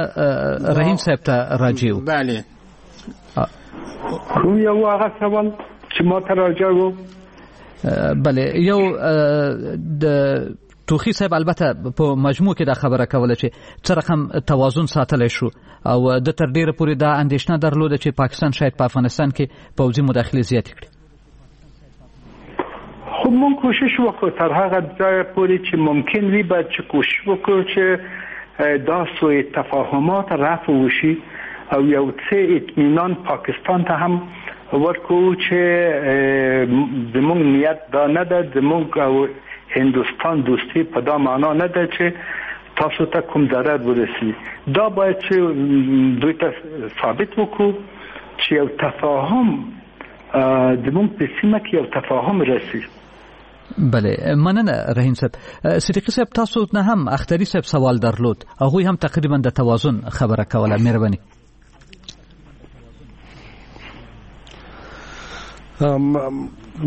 رحیم صاحب ته راجع وو. بله کوم یو هغه سوال چې ما ته راجع وو؟ بله یو د توخی صاحب البته په مجموع کې دا خبره کوله چې څه رقم توازن ساتلی شو او د تر ډیره پورې دا اندېښنه درلوده چې پاکستان شاید په افغانستان کې پوځي مداخلې زیاتې کړي. خب مونږ کوشش وکړو تر هغه ځایه پورې چې ممکن وي باید چې کوشش وکړو چې دا سوء تفاهمات رفع وشي او یو څه اطمینان پاکستان ته هم ورکو چې زموږ نیت دا نه ده، زموږ او هندوستان دوستی په دا معنا نه ده چې تاسو ته کوم ضرر ورسي. دا باید چې دوی ته ثابت وکړو چې یو تفاهم زموږ په سیمه کې یو تفاهم رسي. بله مننه رحیم صاحب. صدیقي صاحب تاسو نه هم اختري صاحب سوال درلود، هغوی هم تقریبا د توازن خبره کوله. مهرباني.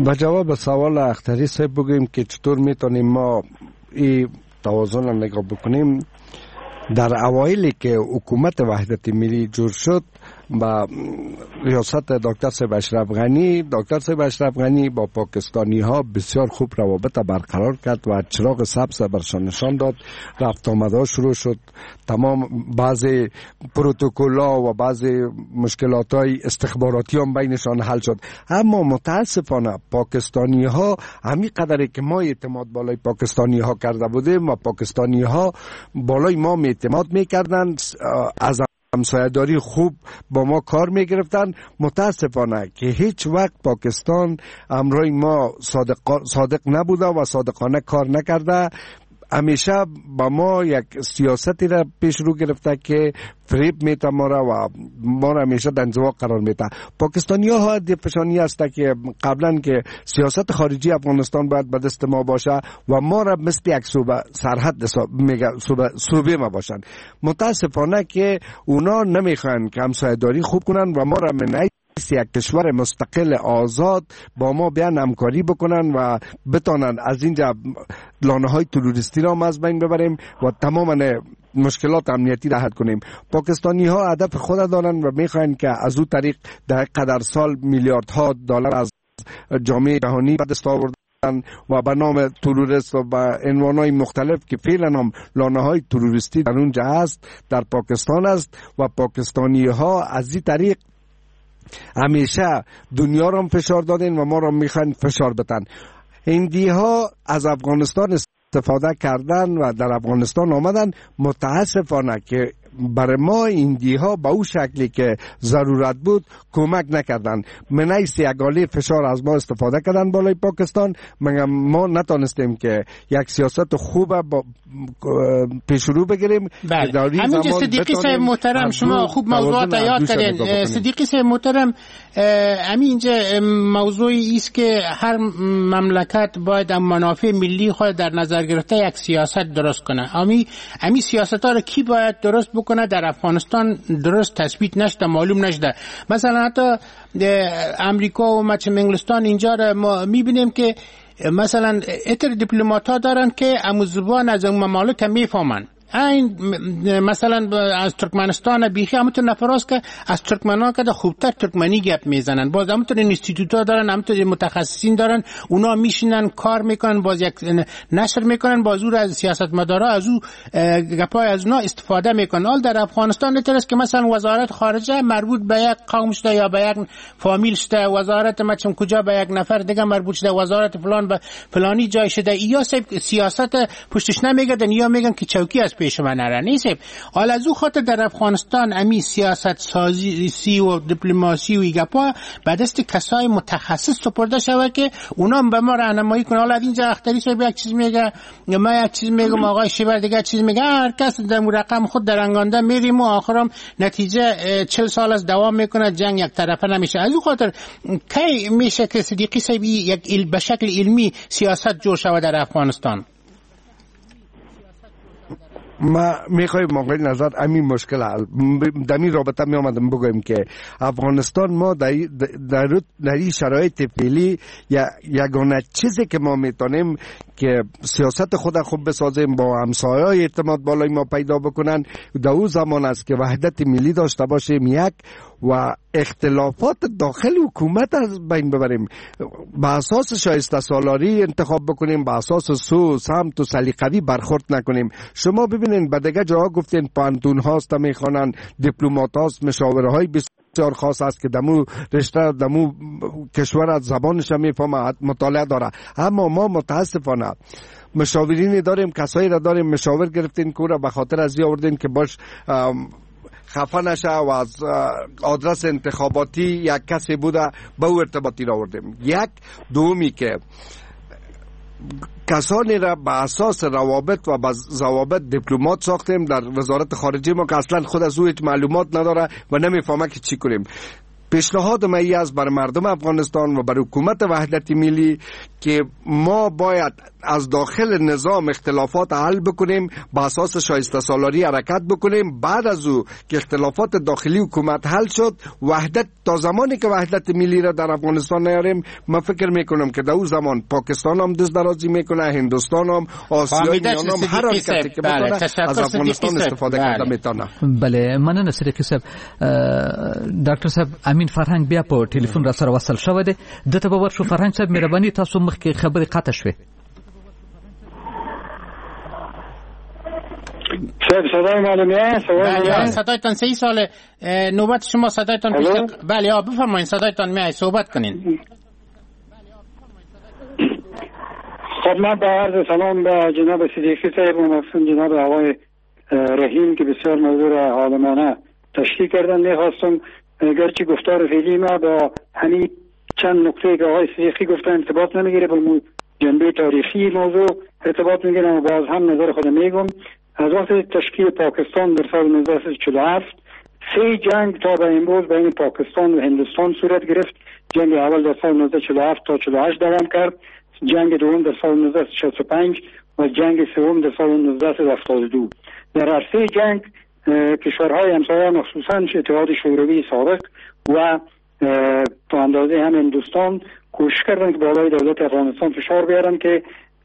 با جواب سوال اختری صاحب بگوییم که چطور میتونیم ما این توازن را نگاه بکنیم. در اوایلی که حکومت وحدت ملی جور شد با ریاست دکتر صاحب اشرف غنی، دکتر صاحب اشرف غنی با پاکستانی ها بسیار خوب روابط برقرار کرد و چراغ سبز برشان نشان داد. رفت آمدها شروع شد، تمام بعضی پروتکل‌ها و بعضی مشکلات های استخباراتی هم بینشان حل شد. اما متاسفانه پاکستانی ها همین قدری که ما اعتماد بالای پاکستانی ها کرده بودیم و پاکستانی ها بالای ما اعتماد میکردن، از همسایه‌داری خوب با ما کار میگرفتن، متاسفانه که هیچ وقت پاکستان همراه ما صادق, صادق نبوده و صادقانه کار نکرده. همیشه با ما یک سیاستی را پیش رو گرفته که فریب میته ما را و ما را همیشه در انزوا قرار میته. پاکستانی ها دیفشانی است که قبلا که سیاست خارجی افغانستان باید به دست ما باشه و ما را مثل یک صوبه سرحد میگه صوبه صوبه ما باشن. متاسفانه که اونا نمیخوان که همسایه‌داری خوب کنن و ما را منعی یک کشور مستقل آزاد با ما بیان همکاری بکنن و بتانن از اینجا لانه های تروریستی را از بین ببریم و تماما مشکلات امنیتی را حل کنیم. پاکستانی ها هدف خود دارن و میخواین که از او طریق در قدر سال میلیاردها دلار از جامعه جهانی به دست آوردن و به نام تروریست و به عنوان‌های مختلف که فعلا هم لانه های تروریستی در اونجا هست، در پاکستان است و پاکستانی ها از این طریق همیشه دنیا را فشار دادن و ما را میخوان فشار بدن. هندی ها از افغانستان استفاده کردن و در افغانستان آمدن. متاسفانه که برای ما هندی ها به او شکلی که ضرورت بود کمک نکردن. منیس یگالی فشار از ما استفاده کردن بالای پاکستان، ما نتانستیم که یک سیاست خوب با پیش رو بگیریم. بله. همینجا صدیقی صاحب محترم شما خوب موضوعات یاد کردین. صدیقی صاحب محترم، همینجا موضوعی است که هر مملکت باید منافع ملی خود در نظر گرفته یک سیاست درست کنه. امی امی سیاست ها رو کی باید درست بکنه؟ در افغانستان درست تثبیت نشده، معلوم نشده. مثلا حتی امریکا و مچم انگلستان اینجا را ما میبینیم که مثلا اتر دیپلمات ها دارن که امو زبان از اون ممالک میفهمن. این مثلا از ترکمنستان بیخی همونطور نفراست که از ترکمنان که خوبتر ترکمنی گپ میزنن، باز همونطور اینستیتوت ها دارن، همونطور متخصصین دارن، اونا میشینن کار میکنن، باز یک نشر میکنن، باز او را از سیاستمدارا از او گپای از اونا استفاده میکنن. حال در افغانستان اینطور که مثلا وزارت خارجه مربوط به یک قوم شده یا به یک فامیل شده، وزارت مچم کجا به یک نفر دیگه مربوط شده، وزارت فلان به فلانی جای شده. یا سیاست پشتش نمیگردن یا میگن که چوکی از پیش من نره نیست. حالا از او خاطر در افغانستان امی سیاست سازی سی و دیپلماسی و گپا به دست کسای متخصص سپرده شوه که اونا به ما راهنمایی کنه. حالا اینجا اختری صاحب یک چیز میگه، ما یک چیز میگم، آقای شیبر دیگه چیز میگه، هر کس در رقم خود در انگانده میریم و آخرم نتیجه چهل سال از دوام میکنه، جنگ یک طرفه نمیشه. از او خاطر کی میشه که صدیقی صاحب یک به شکل علمی سیاست جور شوه در افغانستان؟ ما میخوایم آقای نظر همین مشکل حل در این رابطه می آمدم بگویم که افغانستان ما در, در, در این شرایط فعلی یگانه چیزی که ما میتونیم که سیاست خود خوب بسازیم، با همسایه‌های اعتماد بالای ما پیدا بکنن، در او زمان است که وحدت ملی داشته باشیم یک، و اختلافات داخل حکومت از بین ببریم، به اساس شایسته سالاری انتخاب بکنیم، به اساس سو سمت و سلیقوی برخورد نکنیم. شما ببینین به دیگه جاها گفتین پانتون هاست میخوانن، دیپلمات هاست، مشاوره های بسیار خاص است که دمو رشته دمو کشور از زبانش میفهمه، مطالعه داره. اما ما متاسفانه مشاورینی داریم، کسایی را داریم مشاور گرفتین که را به خاطر از آوردین که باش خفه نشه و از آدرس انتخاباتی یک کسی بوده به او ارتباطی را آوردیم. یک دومی که کسانی را به اساس روابط و به ضوابط دیپلمات ساختیم در وزارت خارجه ما که اصلا خود از او هیچ معلومات نداره و نمیفهمه که چی کنیم. پیشنهاد ما ای است بر مردم افغانستان و بر حکومت وحدت ملی که ما باید از داخل نظام اختلافات حل بکنیم، با اساس شایسته سالاری حرکت بکنیم. بعد از او که اختلافات داخلی حکومت حل شد، وحدت تا زمانی که وحدت ملی را در افغانستان نیاریم، من فکر میکنم که در او زمان پاکستان هم دست درازی میکنه، هندوستان هم، آسیای میانه هم، هر حرکتی که بتونه از افغانستان استفاده کرده میتونه. بله، مننه صدیقی صاحب. ډاکټر صاحب امین فرهنګ بیا په ټلیفون را سره وصل شوی دی، ده ته به ورشو. فرهنګ صاحب مهرباني، تاسو مخکې خبرې قطع شوې. صاحب صدای معلومه؟ بله صدایتان صحیح ساله. نوبت شما صدایتان پیش. بله آ بفرمایید، صدایتان میای، صحبت کنین. خب من با عرض سلام به جناب صدیقی صاحب و مخصوصا جناب آقای رحیم که بسیار موضوع را عالمانه تشریح کردن، میخواستم گرچه گفتار فعلی ما با همین چند نکته که آقای صدیقی گفتن ارتباط نمیگیره، با جنبه تاریخی موضوع ارتباط میگیره و باز هم نظر خود میگم. از وقت تشکیل پاکستان در سال نوزده چهل و هفت سه جنگ تا به امروز بین پاکستان و هندوستان صورت گرفت. جنگ اول در سال نوزده چهل و هفت تا چهل و هشت دوام کرد، جنگ دوم در سال نوزده شصت و پنج و جنگ سوم در سال نوزده هفتاد و دو. در هر سه جنگ کشورهای همسایه مخصوصا اتحاد شوروی سابق و تا اندازه هم هندوستان کوشش کردند که بالای دولت افغانستان فشار بیارند که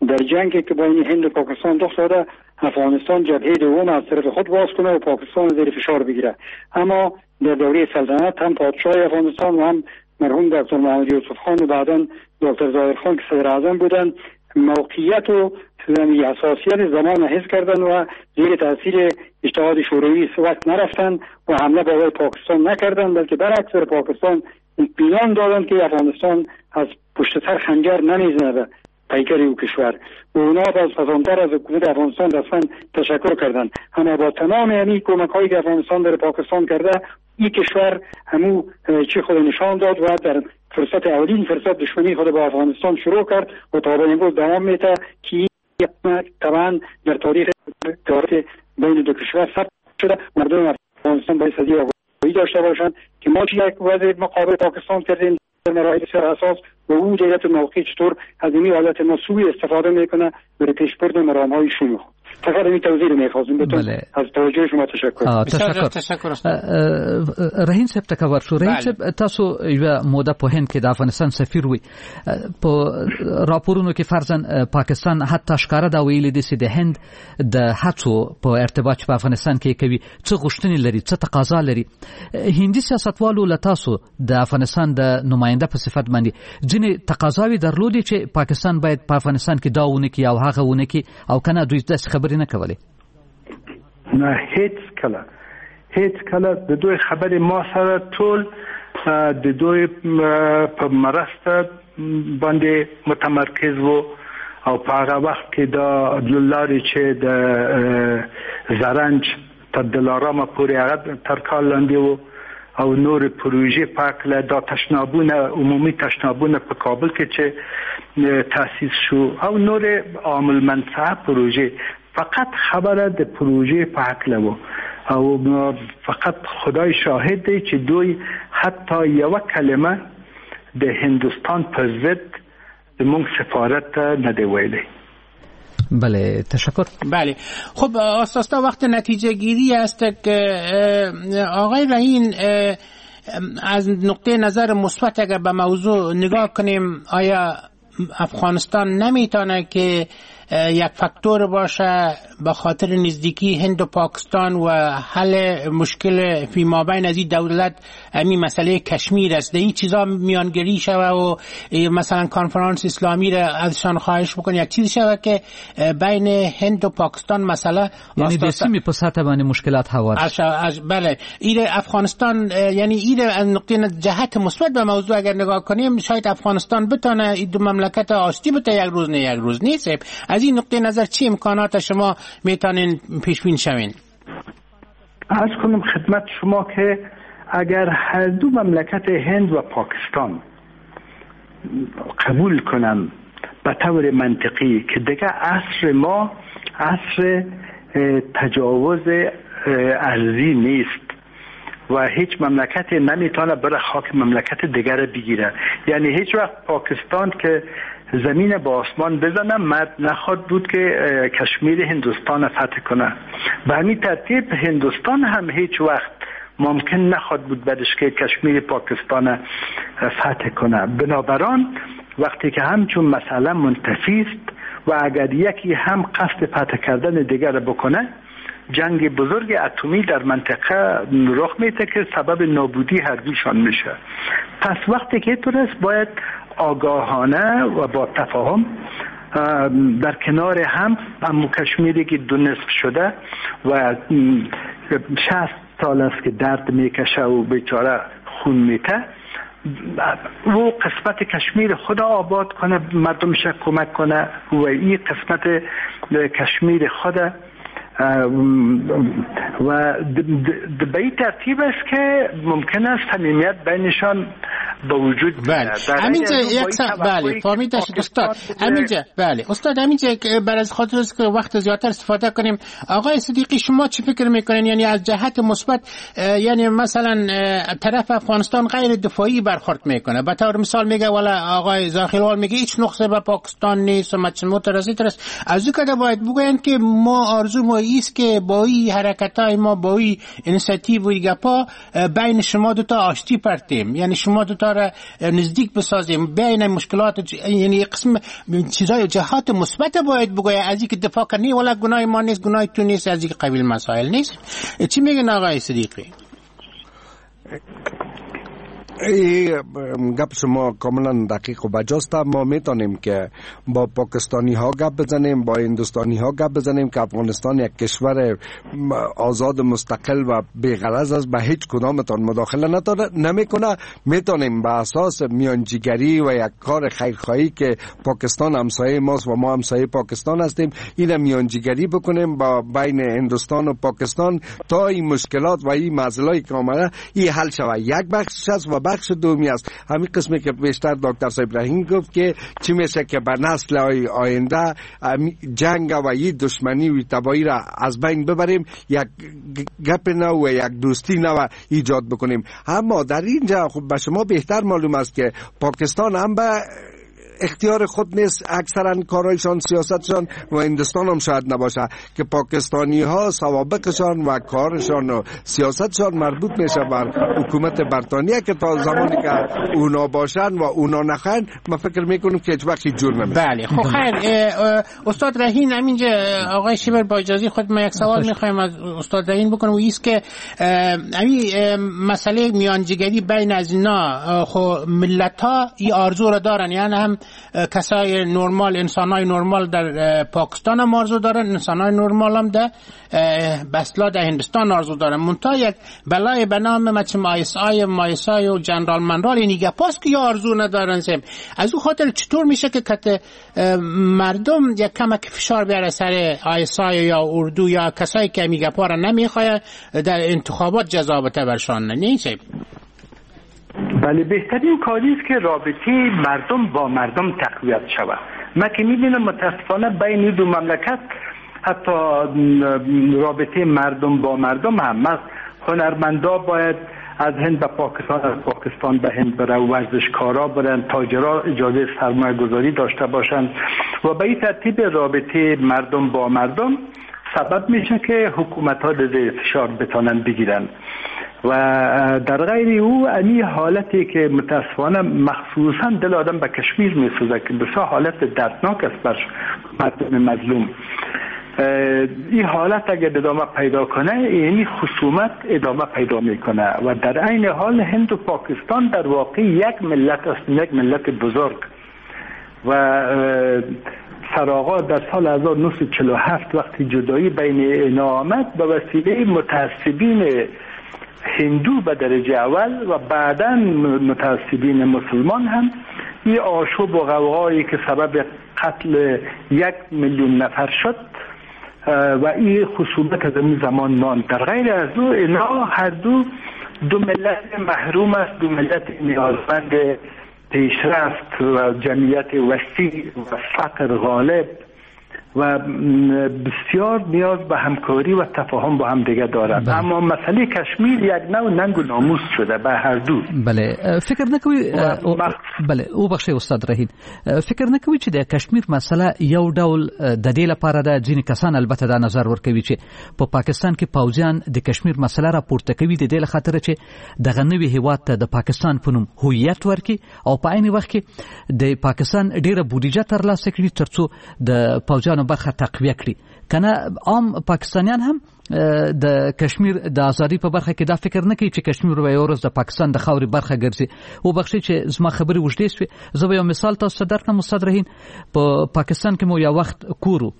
در جنگی که بین هند و پاکستان رخ داده افغانستان جبهه دوم از طرف خود باز کنه و پاکستان زیر فشار بگیره. اما در دوره سلطنت هم پادشاه افغانستان و هم مرحوم دکتر محمد یوسف خان و بعداً دکتر ظاهر خان که صدر اعظم بودند موقعیت و حساسیت زمان حس کردن و زیر تاثیر اتحاد شوروی وقت نرفتن و حمله به پاکستان نکردن، بلکه برعکس بر پاکستان اطمینان دادند که افغانستان از پشت سر خنجر نمیزنه به پیکر او کشور و اونا باز پسانتر از حکومت افغانستان رسما تشکر کردند. اما با تمام همین کمک هایی که افغانستان در پاکستان کرده، این کشور همو چی خود نشان داد و در فرصت اولین فرصت دشمنی خود با افغانستان شروع کرد و تا به امروز دوام میده که طبعا در تاریخ تاریخ بین دو کشور ثبت شده. مردم افغانستان باید از آگاهی داشته باشند که ما چه یک وضع مقابل پاکستان کردیم در مراحل بسیار حساس و او دولت موقعی چطور از این حالت ما سوء استفاده میکنه برای پیشبرد مرام‌های شوم خود. فقط این توضیح رو می‌خواستم بهتون. بله. از توجه شما تشکر. تشکر تشکر. رهین صاحب ته ورشو. رهین صاحب، تاسو یوه موده په هند کې د افغانستان سفیر وي. په راپورونو کې فرضاً پاکستان حتی ښکاره دا ویلي دي چې د هند د هڅو په ارتباط چې په افغانستان کې کوي څه غوښتنې لري، څه تقاضا لري. هندي سیاستوالو له تاسو د افغانستان د نماینده په صفت باندې ځینې تقاضاوې درلودې چې پاکستان باید په افغانستان کې دا ونه کړي او هغه ونه کړي، او کنه دوی داسې خبرې نه کولې؟ نه، هیڅ کله هیڅ کله د دوی خبرې ما سره ټول د دوی په مرسته باندې متمرکز وو او په هغه وخت کې دا لارې چې د زرنج تر دلارامه پورې هغه تر کال لاندې وو او نور پروژې په هکله دا تشنابونه، عمومي تشنابونه په کابل کې چې تاسیس شو او نور عامل منفعه پروژې، فقط خبره د پروژې په هکله وو او فقط خدای شاهد دی چې دوی حتی یوه کلمه د هندوستان په ضد زموږ سفارت ته نه دی ویلی. بله، تشکر. بله، خب آساستا وقت نتیجه گیری است که آقای رهین از نقطه نظر مثبت اگر به موضوع نگاه کنیم، آیا افغانستان نمیتونه که یک فاکتور باشه به خاطر نزدیکی هند و پاکستان و حل مشکل فی ما بین از این دولت همین مسئله کشمیر است، در این چیزا میانگیری شوه و مثلا کنفرانس اسلامی را ازشان خواهش بکنه یک چیز شوه که بین هند و پاکستان مسئله یعنی د سیمې په سطح باندې مشکلات هوار اش اش بله، این افغانستان یعنی این از نقطه جهت مثبت به موضوع اگر نگاه کنیم شاید افغانستان بتونه این دو مملکت آشتی بته یک روز نه یک روز نیست. از این نقطه نظر چی امکانات شما میتونین پیش بین شوین؟ عرض کنم خدمت شما که اگر هر دو مملکت هند و پاکستان قبول کنن به طور منطقی که دیگه عصر ما عصر تجاوز ارضی نیست و هیچ مملکت نمیتونه بره خاک مملکت دیگر بگیره. یعنی هیچ وقت پاکستان که زمین با آسمان بزنه مرد نخواد بود که کشمیر هندوستان فتح کنه. به همین ترتیب هندوستان هم هیچ وقت ممکن نخواد بود بعدش که کشمیر پاکستان فتح کنه. بنابراین وقتی که همچون مسئله منتفی است و اگر یکی هم قصد فتح کردن دیگر بکنه، جنگ بزرگ اتمی در منطقه رخ میده که سبب نابودی هر دوشان میشه. پس وقتی که اینطور است باید آگاهانه و با تفاهم در کنار هم اما کشمیری که دو نصف شده و شصت سال است که درد میکشه و بیچاره خون میته، او قسمت کشمیر خدا آباد کنه، مردمش کمک کنه و این قسمت کشمیر خدا و به این ترتیب است که ممکن است صمیمیت بینشان به وجود بله. همینجا یک سا... بله فهمیده شد استاد. همینجا بله استاد، همینجا بر از خاطر است که وقت زیادتر استفاده کنیم. آقای صدیقی شما چی فکر میکنین؟ یعنی از جهت مثبت، یعنی مثلا طرف افغانستان غیر دفاعی برخورد میکنه، به طور مثال میگه والا آقای زاخیلوال میگه هیچ نقصه به پاکستان نیست و مترسی ترس. از او که باید بگوین که ما آرزو ما ایست که با این حرکت‌های ما، با این اینیشیتیو و گپا بین شما دو تا آشتی پرتیم، یعنی شما دو تا را نزدیک بسازیم بین مشکلات، یعنی قسم چیزای جهات مثبت باید بگوید، از اینکه دفاع کنی ولا گناه ما نیست، گناه تو نیست، از این قبیل مسائل نیست. چی میگن آقای صدیقی؟ ای گپ شما کاملا دقیق و بجاست. ما میتونیم که با پاکستانی ها گپ بزنیم، با هندوستانی ها گپ بزنیم که افغانستان یک کشور آزاد مستقل و بی‌غرض است، به هیچ کدامتان مداخله نمیکنه. میتونیم به اساس میانجیگری و یک کار خیرخواهی که پاکستان همسایه ماست و ما همسایه پاکستان هستیم، این میانجیگری بکنیم با بین هندوستان و پاکستان تا این مشکلات و این معضلایی که آمده این حل شود. یک بخش است و بخش دومی است همین قسمی که بیشتر دکتر صاحب رحیم گفت که چی میشه که به نسل آینده جنگ و این دشمنی و تباهی را از بین ببریم، یک گپ نو و یک دوستی نو ایجاد بکنیم. اما در اینجا خب به شما بهتر معلوم است که پاکستان هم به اختیار خود نیست، اکثرا کارایشان سیاستشان و هندوستان هم شاید نباشه که پاکستانی ها سوابقشان و کارشان و سیاستشان مربوط میشه بر حکومت بریتانیا که تا زمانی که اونا باشن و اونا نخن ما فکر میکنم که هیچ وقت جور نمیشه. بله خب خیر استاد رهین، همینجا آقای شیبر با اجازه خود ما یک سوال میخوایم از استاد رهین بکنم و ایست که همین مسئله میانجیگری بین از اینا، خب ملت ها این آرزو را دارن، یعنی هم کسای نرمال، انسانای نرمال در پاکستان هم آرزو دارن، انسانای نرمال هم در بسلا در هندوستان آرزو دارن. منتها یک بلای به نام مچم آی اس آی مایس آی و جنرال منرال این گپاست که آرزو ندارن. سیم از او خاطر چطور میشه که کت مردم یک کمک فشار بیاره سر آی اس آی یا اردو یا کسایی که می گپا را نمیخواد در انتخابات جزا بده برشان؟ نه بله، بهترین کاری است که رابطه مردم با مردم تقویت شود. من که میبینم متاسفانه بین دو مملکت حتی رابطه مردم با مردم هم هست. هنرمندا باید از هند به پاکستان، از پاکستان به هند بره، ورزشکارا برن، تاجرا اجازه سرمایه گذاری داشته باشند و به این ترتیب رابطه مردم با مردم سبب میشه که حکومت ها زیر فشار بتانن بگیرن. و در غیر او امی حالتی که متاسفانه مخصوصا دل آدم به کشمیر میسوزه که بسیار حالت دردناک است بر مردم مظلوم، این حالت اگر ادامه پیدا کنه یعنی خصومت ادامه پیدا میکنه و در عین حال هند و پاکستان در واقع یک ملت است، یک ملت بزرگ. و سرآغاز در سال هزار و نهصد و چهل و هفت وقتی جدایی بین اینا آمد به وسیله متعصبین هندو به درجه اول و بعداً متعصبین مسلمان هم این آشوب و غوغایی که سبب قتل یک میلیون نفر شد و این خصومت از این زمان ماند. در غیر از او اینا هر دو دو ملت محروم است، دو ملت نیازمند پیشرفت و جمعیت وسیع و فقر غالب و بسیار نیاز به همکاری و تفاهم با هم دیگه دارند. اما مسئله کشمیر یک نوع ننگ و ناموس شده به هر دو. بله فکر نکوي بله او بخښئ استاد رهین، فکر نکوي چې د کشمیر مسله یو ډول د دې لپاره ده، ځینې کسان البته دا نظر ورکوي چې په پاکستان کې پوځیان د کشمیر مسله راپورته کوي د دې لخاطر چې دغه نوي هیواد ته د پاکستان په نوم هویت ورکړي او په عین وخت کې د پاکستان ډیره بودیجه ترلاسه کړي ترڅو د پوځیانو برخه تقویه کړي. کنه عام پاکستانیان هم د کشمیر د ازادۍ په برخه کې دا فکر نه کوي چې کشمیر به یو ورځ د پاکستان د خاورې برخه ګرځي. او بخښئ چې زما خبرې اوږدې شوې، زه به یو مثال تاسو ته درکړم استاد رهین. په پاکستان کې مو یو وخت کور و،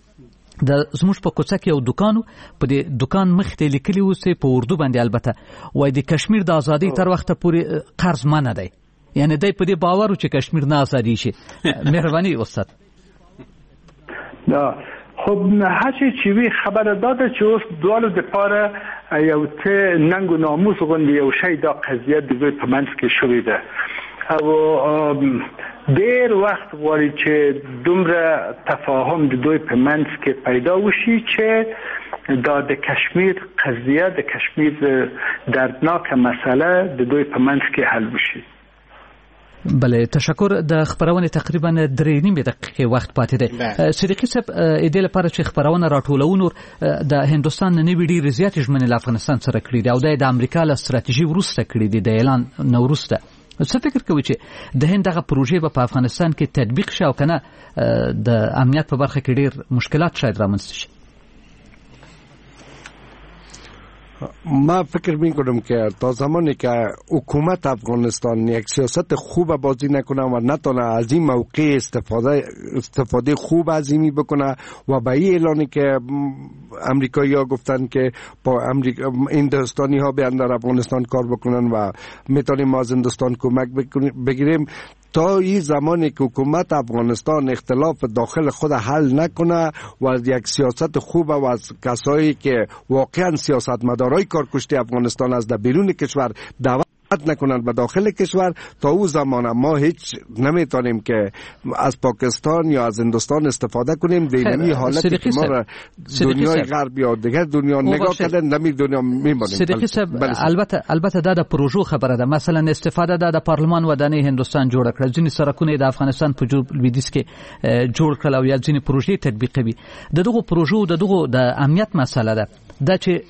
د زموږ په کوڅه کې یو دوکان و، په دې دوکان مخ ته لیکلي و چې په اردو باندې البته وایي د کشمیر د ازادۍ تر وخته پورې قرض منع دی، یعنی دی په دې باور و چې کشمیر نه ازادي شي. مهرباني استاد. دا خب هرچی چې وی خبره داده چې اوس دواړو دپاره یو څه ننګ و ناموس غوندې یو شی دا قضیه د دوی په منځ کې شوې ده او ډیر وخت غواړي چې دومره تفاهم د دوی په منځ کې پیدا وشي چې دا د کشمیر قضیه، د کشمیر دردناک مسئله د دوی په منځ کې حل وشي. بله تشکر. د خبرونه تقریبا درې نیمې دقیقې وخت پاتې دی. صدیقي صاحب، د دې لپاره چې خبرونه راټولو نور د هندوستان نوې ډېرې زیاتې ژمنې له افغانستان سره کړې دي او دا د امریکا له ستراتیژي وروسته کړې دي، د اعلان نه وروسته. څه فکر کوئ چې د هند دغه پروژې به په افغانستان کې تطبیق شي او که نه د امنیت په برخه کې ډېر مشکلات شاید رامنځته شي؟ ما فکر میکنم که تا زمانی که حکومت افغانستان یک سیاست خوب بازی نکنه و نتونه از این موقع استفاده استفاده خوب از اینی بکنه و به این اعلانی که امریکایی ها گفتن که با امریکا هندوستانی ها بیان در افغانستان کار بکنن و میتونیم ما از هندوستان کمک بگیریم، تا این زمانی که حکومت افغانستان اختلاف داخل خود حل نکنه و از یک سیاست خوب و از کسایی که واقعا سیاستمدارای کارکشته افغانستان از در بیرون کشور دعوت نکنند به داخل کشور، تا او زمان ما هیچ نمیتونیم که از پاکستان یا از هندوستان استفاده کنیم. دینمی حالتی که ما را دنیای غرب یا دیگر دنیا نگاه کردن نمی دنیا میمانیم. صدیقی صاحب، البته البته دا د پروژو خبره ده. مثلا استفاده دا د پارلمان ودانۍ هندوستان جوړ کړه، ځینې سرکونه د افغانستان په جنوب لویدیځ کې جوړ کړل او یا ځینې پروژې تطبیقوي. د دغو پروژو د دغو د امنیت مسله ده، دا چې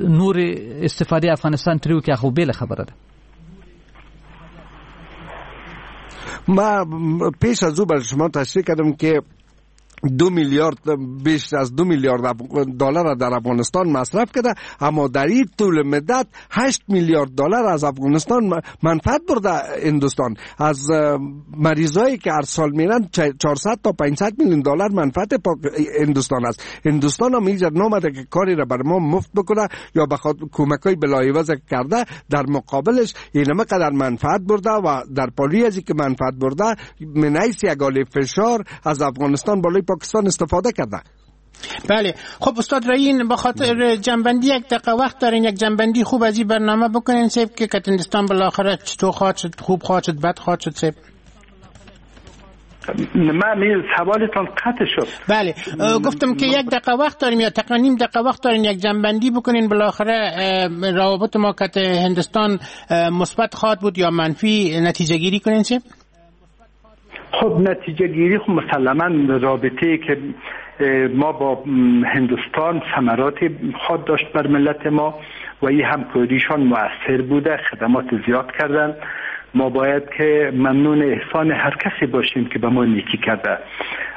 نور استفاده افغانستان ترې وکړي خو بېله خبره ده. ما پیش از او بر شما تشریح کردم که دو میلیارد بیش از دو میلیارد دلار در افغانستان مصرف کرده، اما در این طول مدت هشت میلیارد دلار از افغانستان منفعت برده هندوستان. از مریضایی که هر سال میرن چهارصد تا پانصد میلیون دلار منفعت هندوستان است. هندوستان هم اینجا نامده که کاری را بر ما مفت بکنه یا بخواد کمکای بلاعوض کرده، در مقابلش اینمه قدر منفعت برده و در پالی از اینکه منفعت برده من حیث یک فشار از افغانستان بالای پاکستان استفاده کرده. بله خب استاد رهین، با خاطر جنبندی یک دقیقه وقت دارین، یک جنبندی خوب از این برنامه بکنین سیب که هندوستان بالاخره چطور خواهد شد، خوب خواهد شد، بد خواهد شد سیب. من سوالتان قطع شد. بله گفتم که یک دقیقه وقت داریم یا تقریبا نیم دقیقه وقت دارین، یک جنبندی بکنین بالاخره روابط ما که هندوستان مثبت خواهد بود یا منفی، نتیجه گیری کنین سیب. خب نتیجه گیری خب مسلما رابطه که ما با هندوستان ثمرات خواهد داشت بر ملت ما و این همکاریشان مؤثر بوده، خدمات زیاد کردن. ما باید که ممنون احسان هر کسی باشیم که به ما نیکی کرده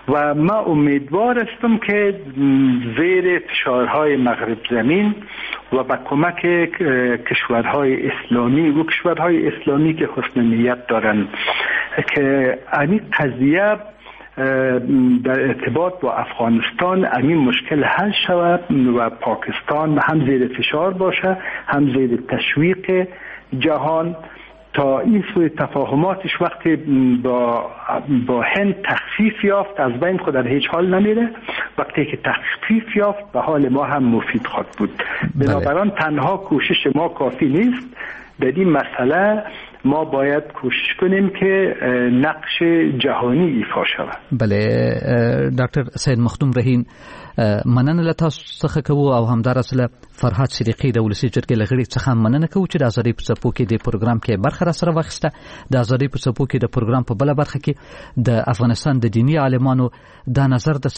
و ما امیدوار هستم که زیر فشارهای مغرب زمین و با کمک کشورهای اسلامی و کشورهای اسلامی که حسن نیت دارند که این قضیه در ارتباط با افغانستان این مشکل حل شود و پاکستان هم زیر فشار باشه هم زیر تشویق جهان تا این سوی تفاهماتش وقتی با با هند تخفیف یافت از بین خود در هیچ حال نمیره، وقتی که تخفیف یافت به حال ما هم مفید خواهد بود. بنابراین تنها کوشش ما کافی نیست، در این مسئله ما باید کوشش کنیم که نقش جهانی ایفا شود. بله، ډاکټر سید مخدوم رهین، مننه له تاسو څخه کوو او همداراز له فرهاد صدیقي د ولسي جرګې له غړي څخه مننه کوو چې د ازادۍ په څپو کې د پروګرام کې برخه را سره واخیسته. د ازادۍ په څپو کې د پروګرام په بله برخه کې د افغانستان د دیني عالمانو دا نظر د